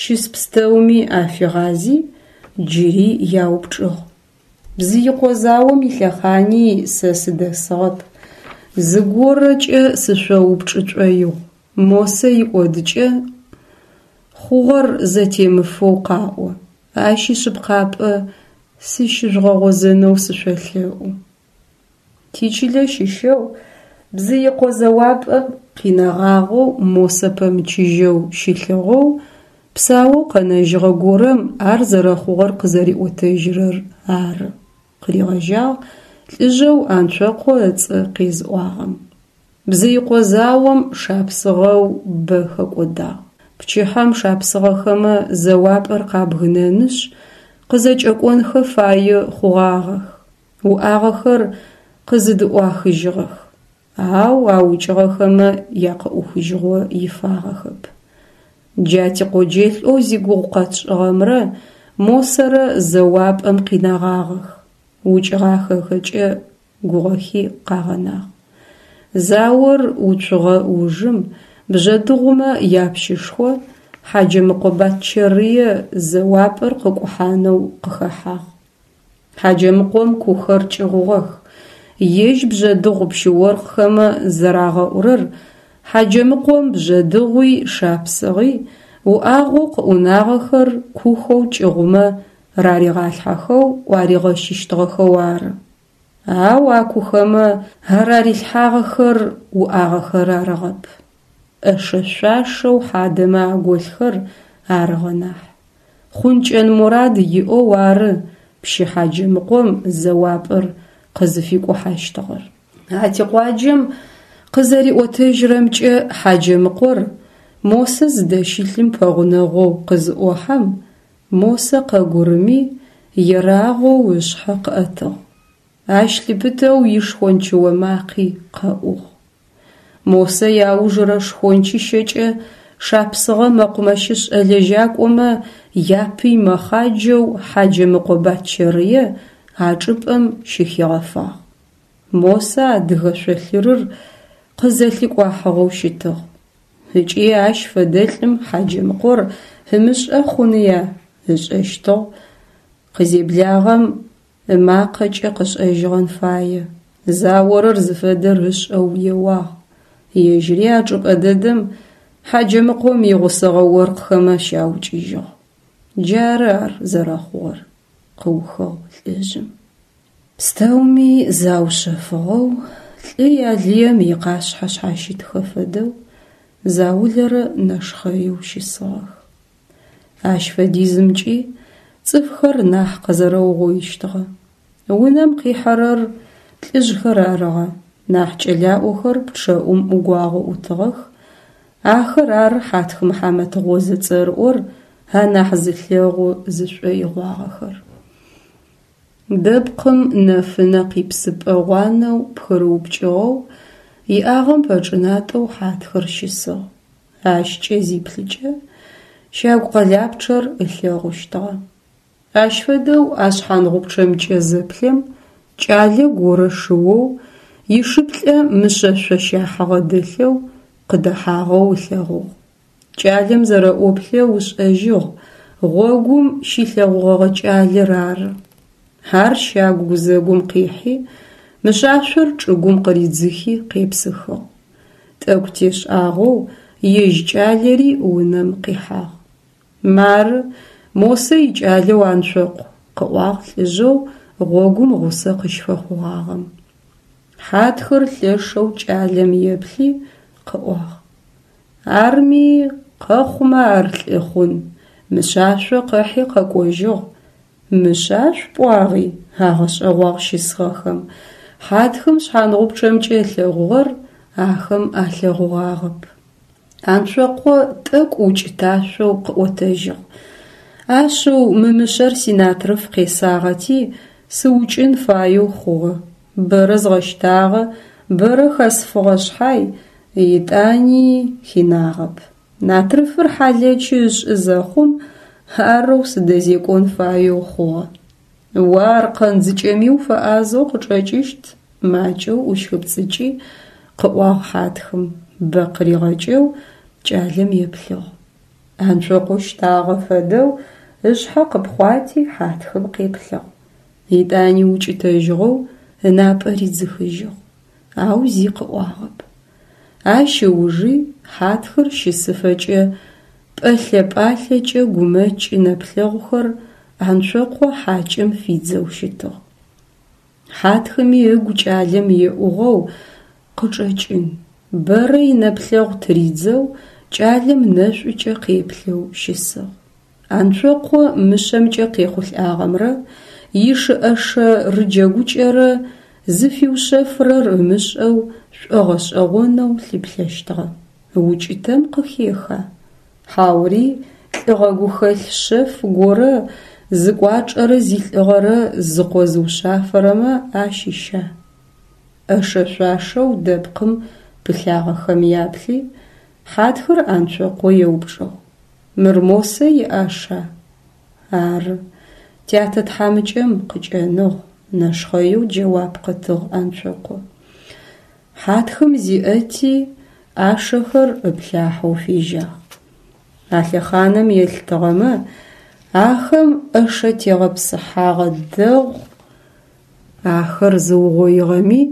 Speaker 1: щыс пстэуми афигъази, джыри яупчӏыгъ. Бзыикъо заом илъэхъани сэ сыдэсыгъэп. Зыгорэкӏэ сышъоупчӏы шӏоигъу. Мосэ икӏодыкӏэ хъугъэр зэтемыфэу къаӏо. Ащ ишъыпкъапӏэ сыщыжъугъэгъозэнэу сышъолъэӏу. Тичылэ щыщэу Бзыикъо зэуапӏэм къинэгъагъэу Мосэ пэмычыжьэу щылъыгъэу псаоу къэнэжьыгъэ горэм ар зэрэхъугъэр къызэриӏотэжьырэр ары, къыригъэжьагъ лӏыжъэу Анцокъо ыцӏэ къезыӏуагъэм. Бзыикъо заом шапсыгъэу бэ хэкӏодагъ. Пчыхьэм шапсыгъэхэмэ зэуапӏэр къабгынэнышъ, къызэкӏэкӏонхэ фае хъугъагъэх. Уӏагъэхэр къызыдыӏуахыжьыгъэх, ау аукӏыгъэхэмэ якъыӏухыжьыгъо ифагъэхэп. Джа тикъоджэлӏэу зигугъу къэтшӏыгъэмрэ Мосэрэ зэуапӏэм къинэгъагъэх, укӏыгъахэхэкӏэ гугъэхи къагъэнагъ. Заор уцугъэ ужым бжъэдыгъумэ япщышхо Хьаджэмыкъо Батчэрые зэуапӏэр къыкӏухьанэу къыхэхьагъ. Хьаджэмыкъом кухэр кӏыгъугъэх. Ежь бжъэдыгъу пщы-оркъхэмэ зэрагъэӏурэр Хьаджэмыкъом бжъэдыгъуи шапсыгъи уӏагъэу къыӏунагъэхэр кухэу кӏыгъумэ раригъалъхьэхэу ӏуаригъэщыщтыгъэхэу ары. Ау а кухэмэ арарилъхьагъэхэр уӏагъэхэр арыгъэп. ӏэшэ-шъуашэу хьадэмэ аголъхэр арыгъэ нахь. Хъункӏэн мурад иӏэу ары пщы Хьаджэмыкъом зэуапӏэр къызыфикӏухьащтыгъэр. А тикъуаджэм къызэриӏотэжьырэмкӏэ, Хьаджэмыкъор Мосэ зыдэщылъым пэгъунэгъоу къызыӏохьэм, Мосэ къэгурыми, ерагъоу ышъхьэ къыӏэтыгъ. Ащ лъыпытэу ишхончыо макъи къэӏугъ. Мосэ иаужырэ шхончыщэкӏэ шапсыгъэ мэкъумэщышӏэ лэжьакӏомэ япый мэхъаджэу Хьаджэмыкъо Батчэрые а чӏыпӏэм щыхигъэфагъ. Мосэ адыгэ шъолъырыр къызэлъикӏуахьыгъэу щытыгъ. Ыкӏи ащ фэдэлӏым Хьаджэмыкъор ымышӏэ хъуныя, ышӏэщтыгъ. Къызеблагъэм Ымакъэкӏэ къышӏэжьыгъэн фае, заорэр зыфэдэр ышӏэу еуагъ. Ежьыри а чӏыпӏэ дэдэм Хьаджэмыкъом игъусэгъэ оркъхэмэ щаукӏыжьыгъ. Джары ар зэрэхъугъэр, къыухыгъ лӏыжъым. Пстэуми заушъэфыгъэу, лӏы ялыем икъашъхьэ шъхьащытхэ фэдэу заулэрэ нэшхъэеу щысыгъэх. Ащ фэдизымкӏи цӏыфхэр нахь къэзэрэугъоищтыгъэ. Унэм къихьэрэр лӏыжъхэр арыгъэ, нахь кӏэлаӏохэр пчъэӏум ӏугуагъо ӏутыгъэх, ахэр ары Хьатх Мыхьамэт гъозэ цӏэрыӏор анахь зылъэгъу зышӏоигъуагъэхэр. Дэпкъым нэфынэ къипсыпӏэ гъуанэу пхырыупкӏыгъэу иӏагъэм пэчӏынатӏэу Хьатхыр щысыгъ. Ащкӏэ зиплъыкӏэ, щагу къэлапчъэр ылъэгъущтыгъэ. Ащ фэдэу а шъхьангъупчъэмкӏэ зэплъэм, кӏалэ горэ шыоу, ишыплӏэ мышъэшъо щахьыгъэ дэлъэу къыдэхьагъэу ылъэгъугъ. Кӏалэм зэрэӏоплъэу ышӏэжьыгъ, гъогум щилъэгъугъэгъэ кӏалэр ары. Ар щагу гузэгум къихьи, мышъашъор чӏыгум къыридзыхи къепсыхыгъ. Тӏэкӏу тешӏагъэу ежь кӏалэри унэм къихьагъ. Мары, Мосэ икӏалэу Анцокъу, къыӏуагъ лӏыжъэу гъогум гъусэ къыщфэхъугъагъэм. Хьатхыр лъэшэу кӏалэм еплъи, къыӏуагъ. Арми, къэхъумэ ар лӏы хъун, мышъашъо къыхьи къэкӏожьыгъ. Мышъашъу пӏуагъи? агъэшӏэгъуагъ щысыгъэхэм. Хьатхым шъхьангъупчъэмкӏэ ылъэгъугъэр ахэм алъэгъугъагъэп. Анцокъо тӏэкӏу укӏыташъоу къыӏотэжьыгъ. Ашъыу, мы мышъэр синатрыф къесагъэти, сыукӏын фаеу хъугъэ. Бэрэ згъэщтагъэ, бэрэ хэсфыгъэ шъхьай, етӏани хинагъэп. Натрыфыр хьалэчы ышӏы зэхъум арэу сыдэзекӏон фаеу хъугъэ. О аркъэн дзыкӏэми уфэӏазэу къычӏэкӏыщт, макӏэу ӏущхыпцӏыкӏи, къыӏуагъ Хьатхым, бэ къыригъэкӏэу кӏалэм еплъыгъ. Анцокъо щтагъэ фэдэу ышъхьэ къыпхъуати Хьатхым къеплъыгъ. Етӏани укӏытэжьыгъэу ынапӏэ ридзыхыжьыгъ, ау зи къыӏуагъэп. Ащ ыужи Хьатхыр щысыфэкӏэ пӏэлъэ-пӏалъэкӏэ гумэкӏ нэплъэгъухэр Анцокъо хьакӏэм фидзэу щытыгъ. Хьатхыми ыгу кӏалэм еӏугъэу къычӏэкӏын, бэрэ инэплъэгъу тыридзэу кӏалэм нэшӏукӏэ къеплъэу щысыгъ. Анцокъо мышъэмкӏэ къехъулӏагъэмрэ ишы-ӏэшэ рыджэгукӏэрэ зыфиушъэфырэр ымышӏэу шӏогъэшӏэгъонэу лъыплъэщтыгъэ. Укӏытэм къыхеха? Хьаури лӏыгъэ гухэлъ шъэф горэ зыкӏуачӏэрэ зилӏыгъэрэ зыкъозыушъафэрэмэ ащыща? ӏэшэ-шъуашэу дэпкъым пылъагъэхэм яплъи, Хьатхыр Анцокъо еупчӏыгъ. Мыр Мосэ иӏаша? Ары. Тятэ тхьамыкӏэм къыкӏэныгъ, нэшхъэеу джэуап къытыгъ Анцокъо. Хьатхым зиӏэти, ӏашэхэр ыплъахьэу фежьагъ. А лъэхъанэм елъытыгъэмэ, ахэм ӏэшэ тегъэпсыхьагъэ дэгъу ахэр зыугъоигъэми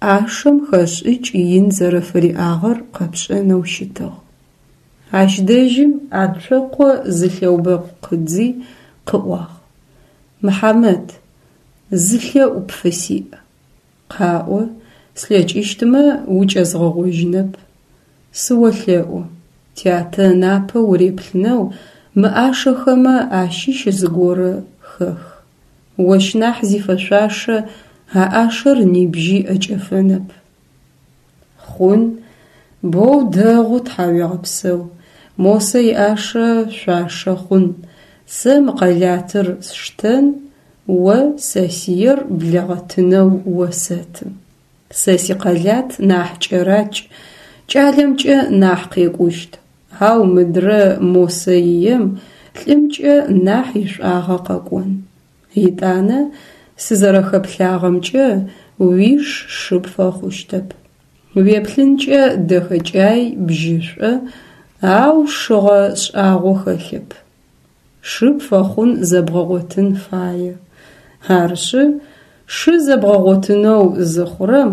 Speaker 1: ӏашэм хэшӏыкӏ ин зэрэфыриӏагъэр къэпшӏэнэу щытыгъ. Ащ дэжьым Анцокъо зы лъэубэкъу къыдзи, къыӏуагъ: Мыхьамэт, зы лъэӏу пфысиӏ. Къаӏо, слъэкӏыщтмэ, укӏэзгъэгъожьынэп. Сыолъэӏу, тятэ ынапэ уреплъынэу мы ӏашэхэмэ ащыщ зыгорэ хэх. Ощ нахь зифэшъуашэ а ӏашэр нибжьи ӏэкӏэфэнэп. Хъун, боу дэгъу, тхьауегъэпсэу. Мосэ иӏашэ шъуашэ хъун. Сэ мы къэлатыр сштэн, о сэсиер блэгъэтынэу осэты. Сэ сикъэлат нахь кӏэракӏ, кӏалэмкӏэ нахь къекӏущт, ау мыдрэ Мосэ ием лӏымкӏэ нахь ишӏуагъэ къэкӏон. Етӏанэ, сызэрэхэплъагъэмкӏэ, уиш шы пфэхъущтэп. Уеплъынкӏэ дэхэкӏай, бжьышӏо, ау шыгъэ шӏагъо хэлъэп. Шы пфэхъун зэбгъэгъотын фае. Арышъы, шы зэбгъэгъотынэу зыхъурэм,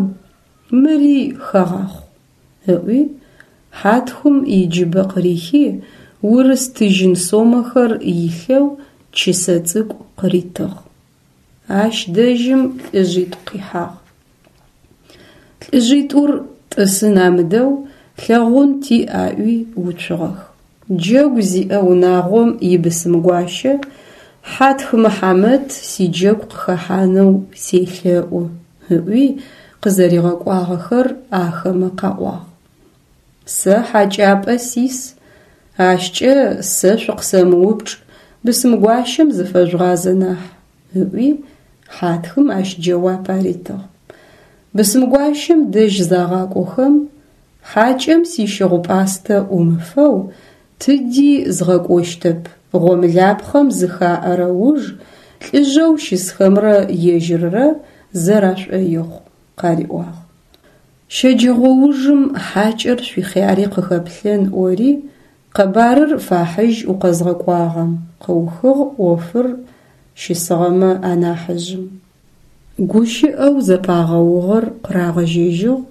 Speaker 1: мыри хэгъахъу, ыӏуи, Хьатхым иджыбэ къырихи, урыс тыжьын сомэхэр илъэу чысэ цӏыкӏу къыритыгъ. Ащ дэжьым лӏыжъитӏу къихьагъ. Лӏыжъитӏур тӏысын амыдэу лъэгъун тиӏ аӏуи уцугъэх. Джэгу зиӏэ унагъом ибысымгуащэ Хьатх Мыхьамэт сиджэгу къыхэхьанэу селъэӏу, ыӏуи къызэригъэкӏуагъэхэр ахэмэ къаӏуагъ. Сэ хьакӏапӏэ сис, ащкӏэ сэ шъукъысэмыупчӏ, бысымгуащэм зыфэжъугъазэ нахь, ыӏуи Хьатхым ащ джэуап аритыгъ. Бысымгуащэм дэжь загъакӏохэм, хьакӏэм сищыгъу-пӏастэ ӏумыфэу тыди згъэкӏощтэп, гъомылапхъэм зыхаӏэрэ уж лӏыжъэу щысхэмрэ ежьыррэ зэрашӏоигъу, къариӏуагъ. Щэджэгъоужым хьакӏэр шъуихъяри къыхэплъэн ӏори, къэбарыр фахьыжь укъэзгъэкӏуагъэм, къыухыгъ ӏофыр щысыгъэмэ анахьыжъым. Гущыӏэу зэпагъэугъэр къырагъэжьэжьыгъ,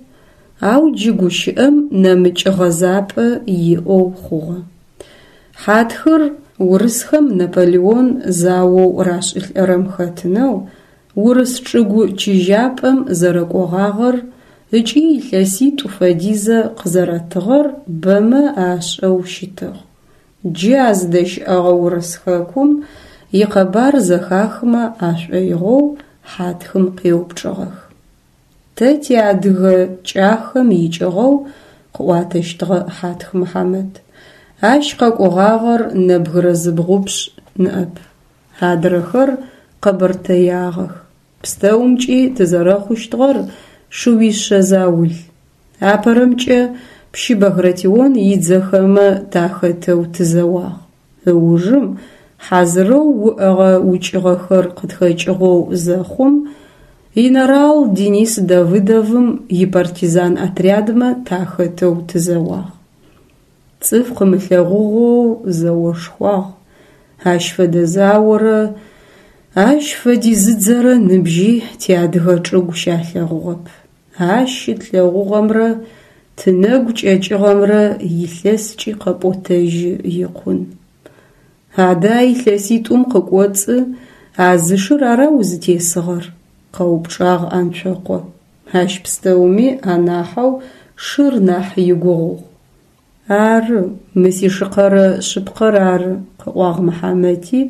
Speaker 1: ау джы гущыӏэм нэмыкӏ гъэзапӏэ иӏэу хъугъэ. Хьатхыр урысхэм Наполеон заоу рашӏылӏэрэм хэтынэу урыс чӏыгу чыжьапӏэм зэрэкӏогъагъэр ыкӏи илъэситӏу фэдизэ къызэрэтыгъэр бэмэ ашӏэу щытыгъ. Джы а зыдэщыӏэгъэ урыс хэкум икъэбар зэхахымэ ашӏоигъоу Хьатхым къеупчӏыгъэх. Тэ тиадыгэ кӏахэм икӏыгъэу, къыӏуатэщтыгъэ Хьатх Мыхьамэт, ащ къэкӏогъагъэр нэбгырэ зыбгъупшӏ ныӏэп. Адрэхэр къэбэртэягъэх. Пстэумкӏи тызэрэхъущтыгъэр шыуишъэ заул. Апэрэмкӏэ, Пщы Багратион идзэхэмэ тахэтэу тызэуагъ. Ыужым хьазырэу уӏэгъэ укӏыгъэхэр къытхэкӏыгъэу зэхъум, инэрал Денис Давыдовым ипартизан отрядмэ тахэтэу тызэуагъ. Цӏыф къымылъэгъугъэу зэошхуагъ. Ащ фэдэ заорэ ащ фэдизыдзэрэ ныбжьи тиадыгэ чӏыгу щалъэгъугъэп. Ащ щытлъэгъугъэмрэ тынэгу кӏэкӏыгъэмрэ илъэскӏи къэпӏотэжьы икъун. Адэ а илъэситӏум къыкӏоцӏы а зы шыр ара узытесыгъэр? къэупчӏагъ Анцокъо. Ащ пстэуми анахьэу шыр нахь игугъугъ. Ары, мы сишыкъэрэ шъыпкъэр ары, къыӏуагъ Мыхьамэти,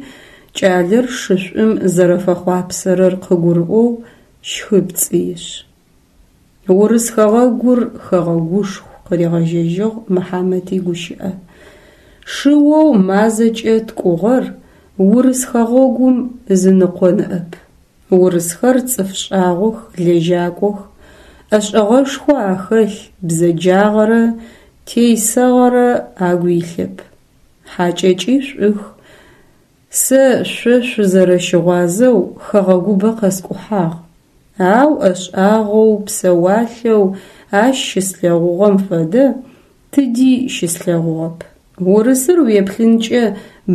Speaker 1: кӏалэр шышӏум зэрэфэхъуапсэрэр къыгурыӏоу щхыпцӏишъ. Урыс хэгъэгур хэгъэгушху, къыригъэжьэжьыгъ Мыхьамэт игущыӏэ. Шыоу мазэкӏэ ткӏугъэр урыс хэгъэгум ызыныкъо ныӏэп. Урысхэр цӏыф шӏагъох, лэжьакӏох, ӏэшӏэгъэшхо ахэлъ, бзэджагъэрэ тейсэгъэрэ агу илъэп. Хьакӏэкӏи шӏух. Сэ шъо шъузэрэщыгъуазэу хэгъэгубэ къэскӏухьагъ, ау ӏэшӏагъэу, псэуалъэу ащ щыслъэгъугъэм фэдэ тыди щыслъэгъугъэп. Урысыр уеплъынкӏэ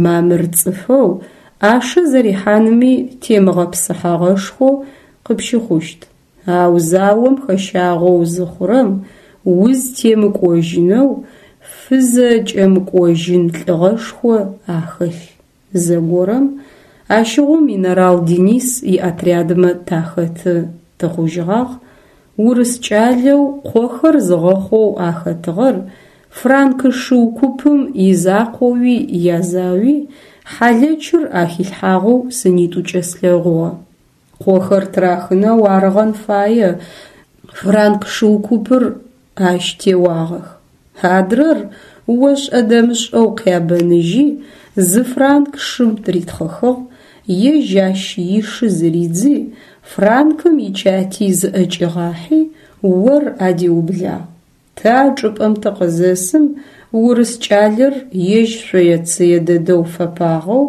Speaker 1: мамыр цӏыфэу, ӏашэ зэрихьанми темыгъэпсыхьэгъэшхоу къыпщыхъущт, ау заом хэщагъэу зыхъурэм, узтемыкӏожьынэу, фызэкӏэмыкӏожьын лӏыгъэшхо ахэлъ. Зэгорэм, ащыгъум инэрал Денис иотрядмэ тахэты тыхъужьыгъагъ, урыс кӏалэу къохэр зыгъэхъоу ахэтыгъэр франкы шыу купым изакъоуи язауи хьалэчыр ахилъхьагъэу сынитӏукӏэ слъэгъугъэ. Къохэр тырахынэу арыгъэн фае франк шыу купыр ащ теуагъэх. Адрэр ошӏэ-дэмышӏэу къябэныжьи, зы франк шым тыритхъыхыгъ, ежь ащ ишы зыридзи, франкым ичати зыӏэкӏигъахьи, ор адиублагъ. Тэ а чӏыпӏэм тыкъызэсым, урыс кӏалэр ежь шъое-цые дэдэу фэпагъэу,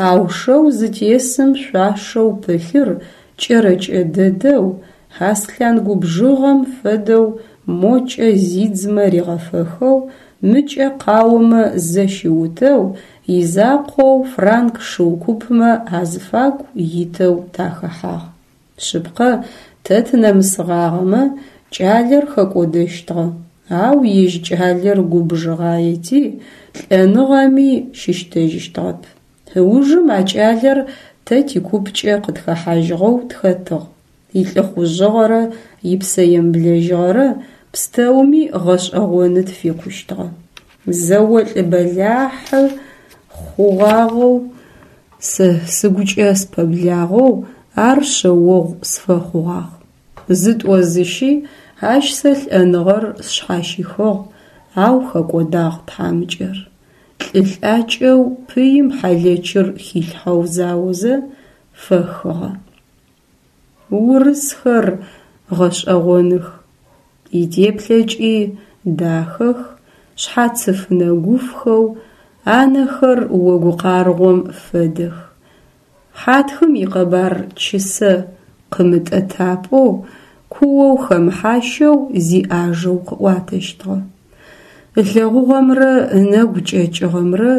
Speaker 1: ау шэу зытесым шъуашэу пылъыр кӏэрэкӏэ дэдэу, аслъан губжыгъэм фэдэу мокӏэ зидзмэ ригъэфэхэу, мыкӏэ къаомэ зэщиутэу, изакъоу франк шыу купмэ азыфагу итэу тахэхьагъ. Шъыпкъэ, тэ тынэмысыгъагъэмэ, кӏалэр хэкӏодэщтыгъэ, ау ежь кӏалэр губжыгъаети, лӏэныгъэми щыщтэжьыщтыгъэп. Ыужым а кӏалэр тэ тикупкӏэ къытхэхьажьыгъэу тхэтыгъ, илӏыхъужъыгъэрэ ипсэемыблэжьыгъэрэ пстэуми гъэшӏэгъоны тфикъущтыгъэ. Зэолӏ бэлахьы хъугъагъэу, сэ сыгукӏэ спэблагъэу ар шъэогъу сфэхъугъагъ. Зытӏо-зыщи ащ сэ лӏэныгъэр сшъхьащихыгъ, ау хэкӏодагъ тхьамыкӏэр. Лӏы лӏакӏэу пыим хьалэчыр хилъхьэу заозэ, фэхыгъэ. Урысхэр гъэшӏэгъоных, итеплъэкӏи дахэх, шъхьацыф нэгуфхэу, анэхэр огу къаргъом фэдэх. Хьатхым икъэбар чысэ къымытӏэтапӏоу, куоу хэмыхьащэу зиӏажэу къыӏуатэщтыгъэ. Ылъэгъугъэмрэ ынэгу кӏэкӏыгъэмрэ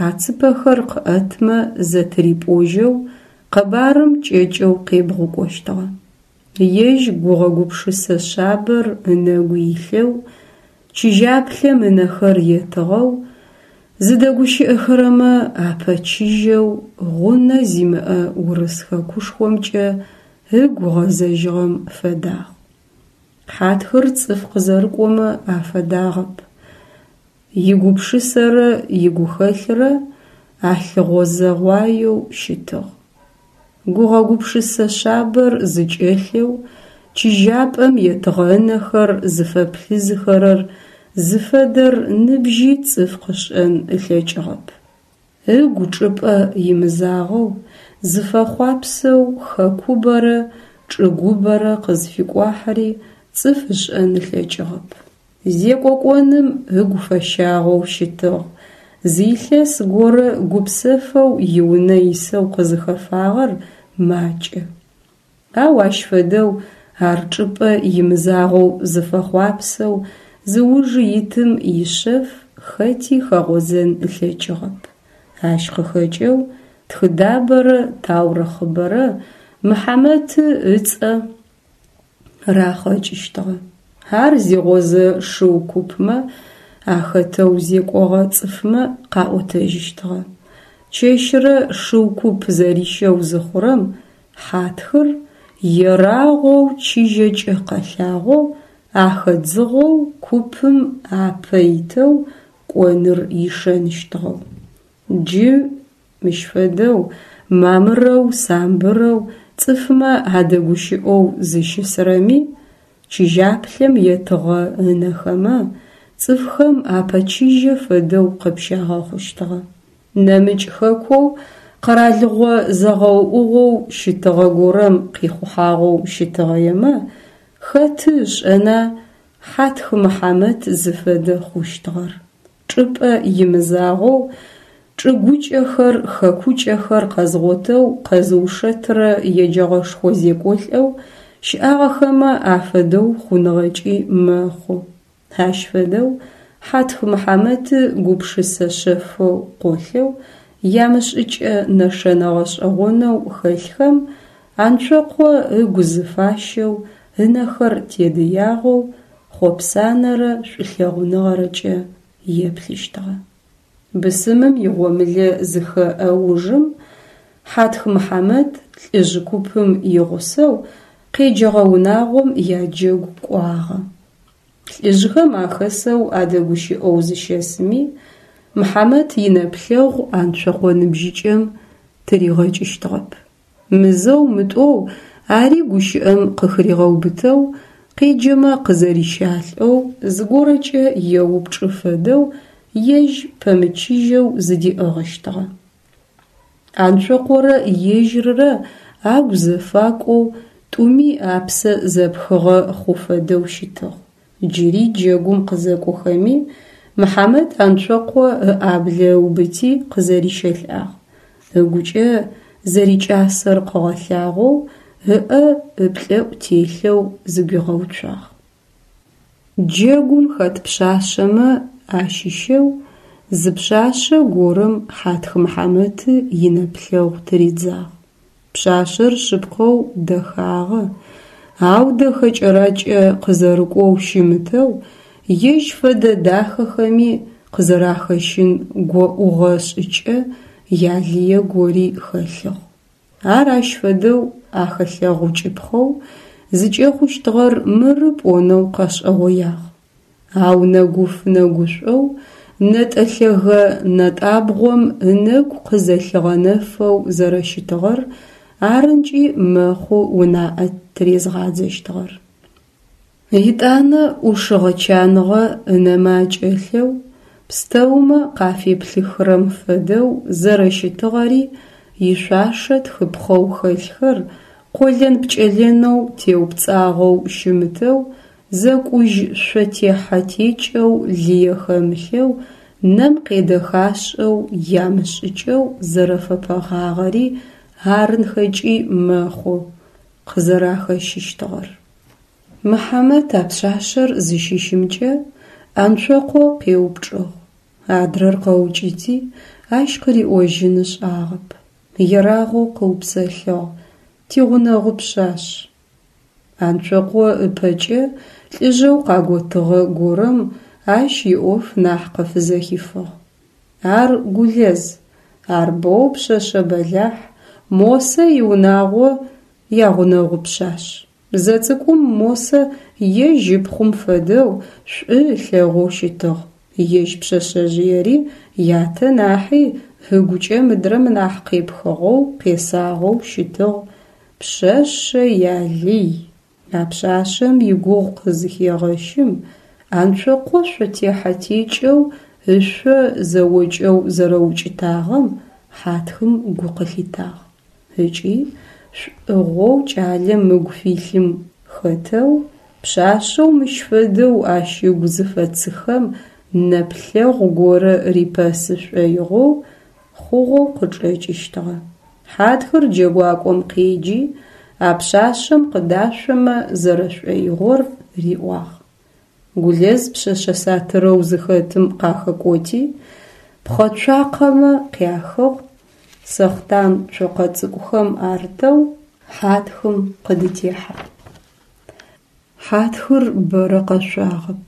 Speaker 1: ацыпэхэр къыӏэтмэ зэтырипӏожьэу къэбарым кӏэкӏэу къебгъукӏощтыгъэ. Ежь гугъэ-гупшысэ шъабэр ынэгу илъэу, чыжьаплъэм ынэхэр етыгъэу, зыдэгущыӏэхэрэмэ апэчыжьэу гъунэ зимыӏэ урыс хэкушхомкӏэ ыгу гъэзэжьыгъэм фэдагъ. Хьатхыр цӏыф къызэрыкӏомэ афэдагъэп. Игупшысэрэ игухэлърэ алъыгъозэгъуаеу щытыгъ. Гугъэ-гупшысэ шъабэр зыкӏэлъэу, чыжьапӏэм етыгъэ ынэхэр зыфэплъызыхэрэр зыфэдэр ныбжьи цӏыф къышӏэн ылъэкӏыгъэп. Ыгу чӏыпӏэ имызагъэу, зыфэхъуапсэу хэкубэрэ чӏыгубэрэ къызфикӏуахьыри цӏыф ышӏэн ылъэкӏыгъэп. Зекӏо кӏоным ыгу фэщагъэу щытыгъ, зы илъэс горэ гупсэфэу иунэ исэу къызыхэфагъэр макӏэ. Ау ащ фэдэу ар чӏыпӏэ имызагъэу зыфэхъуапсэу зыужы итым ишъэф хэти хэгъозэн ылъэкӏыгъэп. Ащ къыхэкӏэу тхыдабэрэ таурыхъыбэрэ Мыхьамэты ыцӏэ рахъэкӏыщтыгъэ. Ар зигъозэ шыу купмэ ахэтэу зекӏогъэ цӏыфмэ къаӏотэжьыщтыгъэ. Чэщырэ шыу куп зэрищэу зыхъурэм Хьатхыр ерагъоу чыжьэкӏэ къэлъагъоу ахэдзыгъэу купым апэ итэу кӏоныр ишэныщтыгъэу. Джы мыщ фэдэу мамырэу самбырэу цӏыфмэ адэгущыӏэу зыщысрэми, чыжьаплъэм етыгъэ ынэхэмэ цӏыфхэм апэчыжьэ фэдэу къыпщагъэхъущтыгъэ. Нэмыкӏ хэкоу къэралыгъо зэгъэуӏугъэу щытыгъэ горэм къихъухьагъэу щытыгъэемэ, хэты ышӏэна Хьатх Мыхьамэт зыфэдэ хъущтыгъэр. Чӏыпӏэ имызагъэу чӏыгукӏэхэр, хэкукӏэхэр къэзгъотэу къэзыушэтырэ еджэгъэшхо зекӏолӏэу щыӏагъэхэмэ афэдэу хъуныгъэкӏи мэхъу. Ащ фэдэу Хьатх Мыхьамэты гупшысэ шъэфэу къолъэу, ямышӏыкӏэ нэшэнэ гъэшӏэгъонэу хэлъхэм Анцокъо ыгу зыфащэу, ынэхэр тедыягъэу, хъопсанэрэ шӏулъэгъуныгъэрэкӏэ еплъыщтыгъэ. Бысымым игъомылэ зыхэӏэ ужым Хьатх Мыхьамэт лӏыжъ купым игъусэу къеджэгъэ унагъом яджэгу кӏуагъэ. Лӏыжъхэм ахэсэу адэгущыӏэу зыщэсыми, Мыхьамэт инэплъэгъу Анцокъо ныбжьыкӏэм тыригъэкӏыщтыгъэп. Мызэу-мытӏоу ари гущыӏэм къыхыригъэубытэу, къеджэмэ къызэрищалӏэу, зыгорэкӏэ еупчӏы фэдэу ежь пэмычыжьэу зыдиӏыгъыщтыгъэ. Анцокъорэ ежьыррэ агу зэфакӏоу, тӏуми апсэ зэпхыгъэ хъу фэдэу щытыгъ. Джыри джэгум къызэкӏохэми, Мыхьамэт Анцокъо ыӏаблэ ыубыти къызэрищэлӏагъ. Ыгукӏэ зэрикӏасэр къыгъэлъагъоу ыӏэ ыплӏэӏу телъэу зыгуигъэуцуагъ. Джэгум хэт пшъашъэмэ ащыщэу зы пшъашъэ горэм Хьатх Мыхьамэты инэплъэгъу тыридзагъ. Пшъашъэр шъыпкъэу дэхагъэ, ау дэхэ кӏэракӏэ къызэрыкӏоу щымытэу, ежь фэдэ дахэхэми къызэрахэщын гоӏугъэ шӏыкӏэ ялые гори хэлъыгъ. Ар ащ фэдэу ахэлъэгъукӏыпхъэу зыкӏэхъущтыгъэр мыры пӏонэу къэшӏэгъоягъ. Ау нэгуф-нэгушӏоу, нэтӏэ лъэгэ нэтӏабгъом ынэгу къызэлъыгъэнэфэу зэрэщытыгъэр арынкӏи мэхъу унаӏэ тырезгъадзэщтыгъэр. Етӏанэ ӏушыгъэ-чаныгъэ ынэмэ акӏэлъэу, пстэумэ къафеплъыхырэм фэдэу зэрэщытыгъэри, ишъуашэ тхыпхъэу хэлъхэр къолэн-пкӏэлэнэу теупцӏагъэу щымытэу, зэкӏужь шъо техьэ-текӏэу лые хэмылъэу, нэм къедэхашӏэу ямышӏыкӏэу зэрэфэпэгъагъэри арынхэкӏи мэхъу къызэрахэщыщтыгъэр. Мыхьамэт а пшъашъэр зыщыщымкӏэ Анцокъо къеупчӏыгъ. Адрэр къэукӏыти, ащ къыриӏожьын ышӏагъэп. Ерагъэу къыупсэлъыгъ, Тигъунэгъу пшъашъ. Анцокъо ыпэкӏэ лӏыжъэу къаготыгъэ горэм ащ иӏоф нахь къыфызэхифыгъ. Ар Гулэз, ар боу пшъэшъэ бэлахь, Мосэ иунагъо ягъунэгъу пшъашъ. Зэцӏыкӏум Мосэ ежь ыпхъум фэдэу шӏу ылъэгъоу щытыгъ, ежь пшъэшъэжъыери ятэ нахьи ыгукӏэ мыдрэм нахь къепхыгъэу, къесагъэу щытыгъ, пшъэшъэ ялый. А пшъашъэм игугъу къызыхегъэщым, Анцокъо шъотехьэ-текӏэу ышъо зэокӏэу зэрэукӏытагъэм Хьатхым гу къылъитагъ. Ыкӏи шӏугъэу кӏалэм ыгу филъым хэтэу. Пшъашъэу мыщ фэдэу ащ ыгу зыфэцыхэм нэплъэгъу горэ рипэсы шӏоигъоу хъугъэу къычӏэкӏыщтыгъэ. Хьатхыр джэгуакӏом къеджи, а пшъашъэм къыдашъомэ зэрэшӏоигъор риӏуагъ. Гулэз пшъэшъэ сатырэу зыхэтым къахэкӏоти, пхъэцуакъэмэ къяхыгъ, сэхътан цокъэ цӏыкӏухэм арытэу Хьатхым къыдытехьагъ. Хьатхыр бэрэ къэшъуагъэп.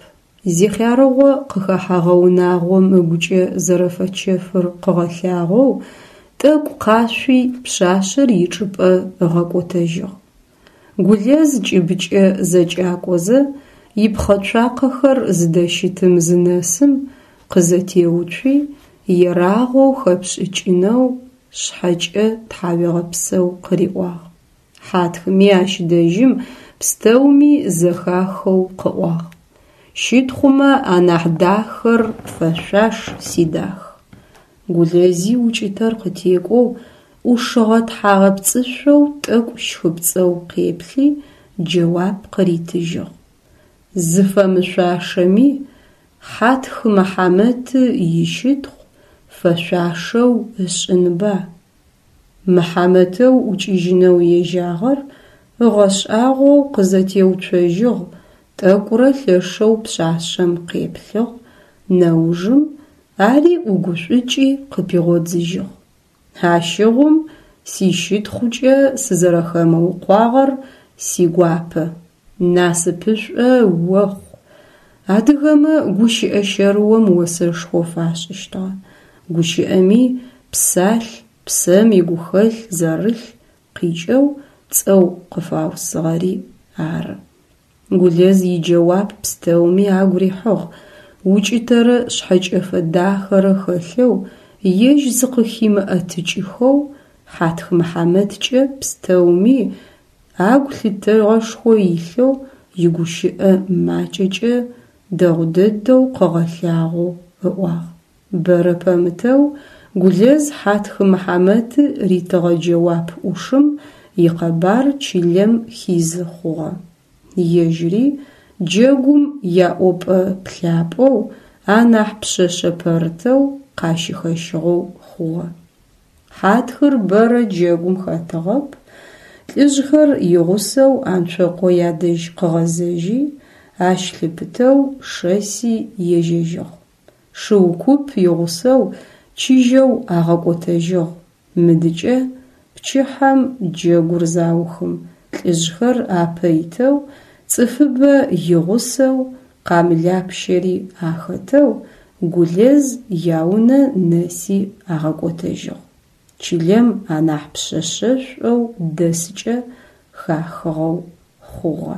Speaker 1: Зихъярыгъо къыхэхьэгъэ унагъом ыгукӏэ зэрэфэчэфыр къыгъэлъагъоу тӏэкӏу къашъуи пшъашъэр ичӏыпӏэ ыгъэкӏотэжьыгъ. Гулэз кӏыбыкӏэ зэкӏакӏозэ ипхъэцуакъэхэр зыдэщытым зынэсым, къызэтеуцуи, ерагъоу хэпшӏыкӏынэу шъхьэкӏэ тхьауегъэпсэу къыриӏуагъ. Хьатхыми ащ дэжьым пстэуми зэхахэу къыӏуагъ: Щытхъумэ анахь дахэр пфэшъуаш, сидах. Гулэзи укӏытэр къытекӏоу, ӏушыгъэ тхьагъэпцӏышъоу тӏэкӏу щхыпцӏэу къеплъи, джэуап къыритыжьыгъ: Зыфэмышъуашэми, Хьатх Мыхьамэты ищытхъу фэшъуашэу ышӏынба. Мыхьамэтэу ӏукӏыжьынэу ежьагъэр ыгъэшӏагъоу къызэтеуцожьыгъ, тӏэкӏурэ лъэшэу пшъашъэм къеплъыгъ, нэужым ари ӏугушӏукӏи къыпигъодзыжьыгъ. Ащыгъум сищытхъукӏэ сызэрэхэмыукъуагъэр сигуапэ, насыпышӏо охъу. Адыгэмэ гущыӏэ щэрыом осэшхо фашӏыщтыгъэ. Гущыӏэми псалъ, псэм игухэлъ зэрылъ къикӏэу цӏэу къыфаусыгъэри ары. Гулэз иджэуап пстэуми агу рихьыгъ, укӏытэрэ шъхьэкӏэфэ дахэрэ хэлъэу, ежь зыкъыхимыӏэтыкӏыхэу Хьатх Мыхьамэткӏэ пстэуми агу лъытэгъэшхо илъэу игущыӏэ макӏэкӏэ дэгъу дэдэу къыгъэлъагъоу ыӏуагъ. Бэрэ пэмытэу Гулэз Хьатх Мыхьамэты ритыгъэ джэуап ӏушым икъэбар чылэм хизы хъугъэ. Ежьыри джэгум яӏопӏэ-плъапӏэу, анахь пшъэшъэ пэрытэу къащыхэщыгъэу хъугъэ. Хьатхыр бэрэ джэгум хэтыгъэп, лӏыжъхэр игъусэу Анцокъо ядэжь къыгъэзэжьи, ащ лъыпытэу шэси ежьэжьыгъ. Шыу куп игъусэу чыжьэу агъэкӏотэжьыгъ. Мыдыкӏэ, пчыхьэм джэгур заухым, лӏыжъхэр апэ итэу, цӏыфыбэ игъусэу, къамылапщэри ахэтэу Гулэз яунэ нэси агъэкӏотэжьыгъ. Чылэм анахь пшъэшъэшӏоу дэсыкӏэ хахыгъэу хъугъэ.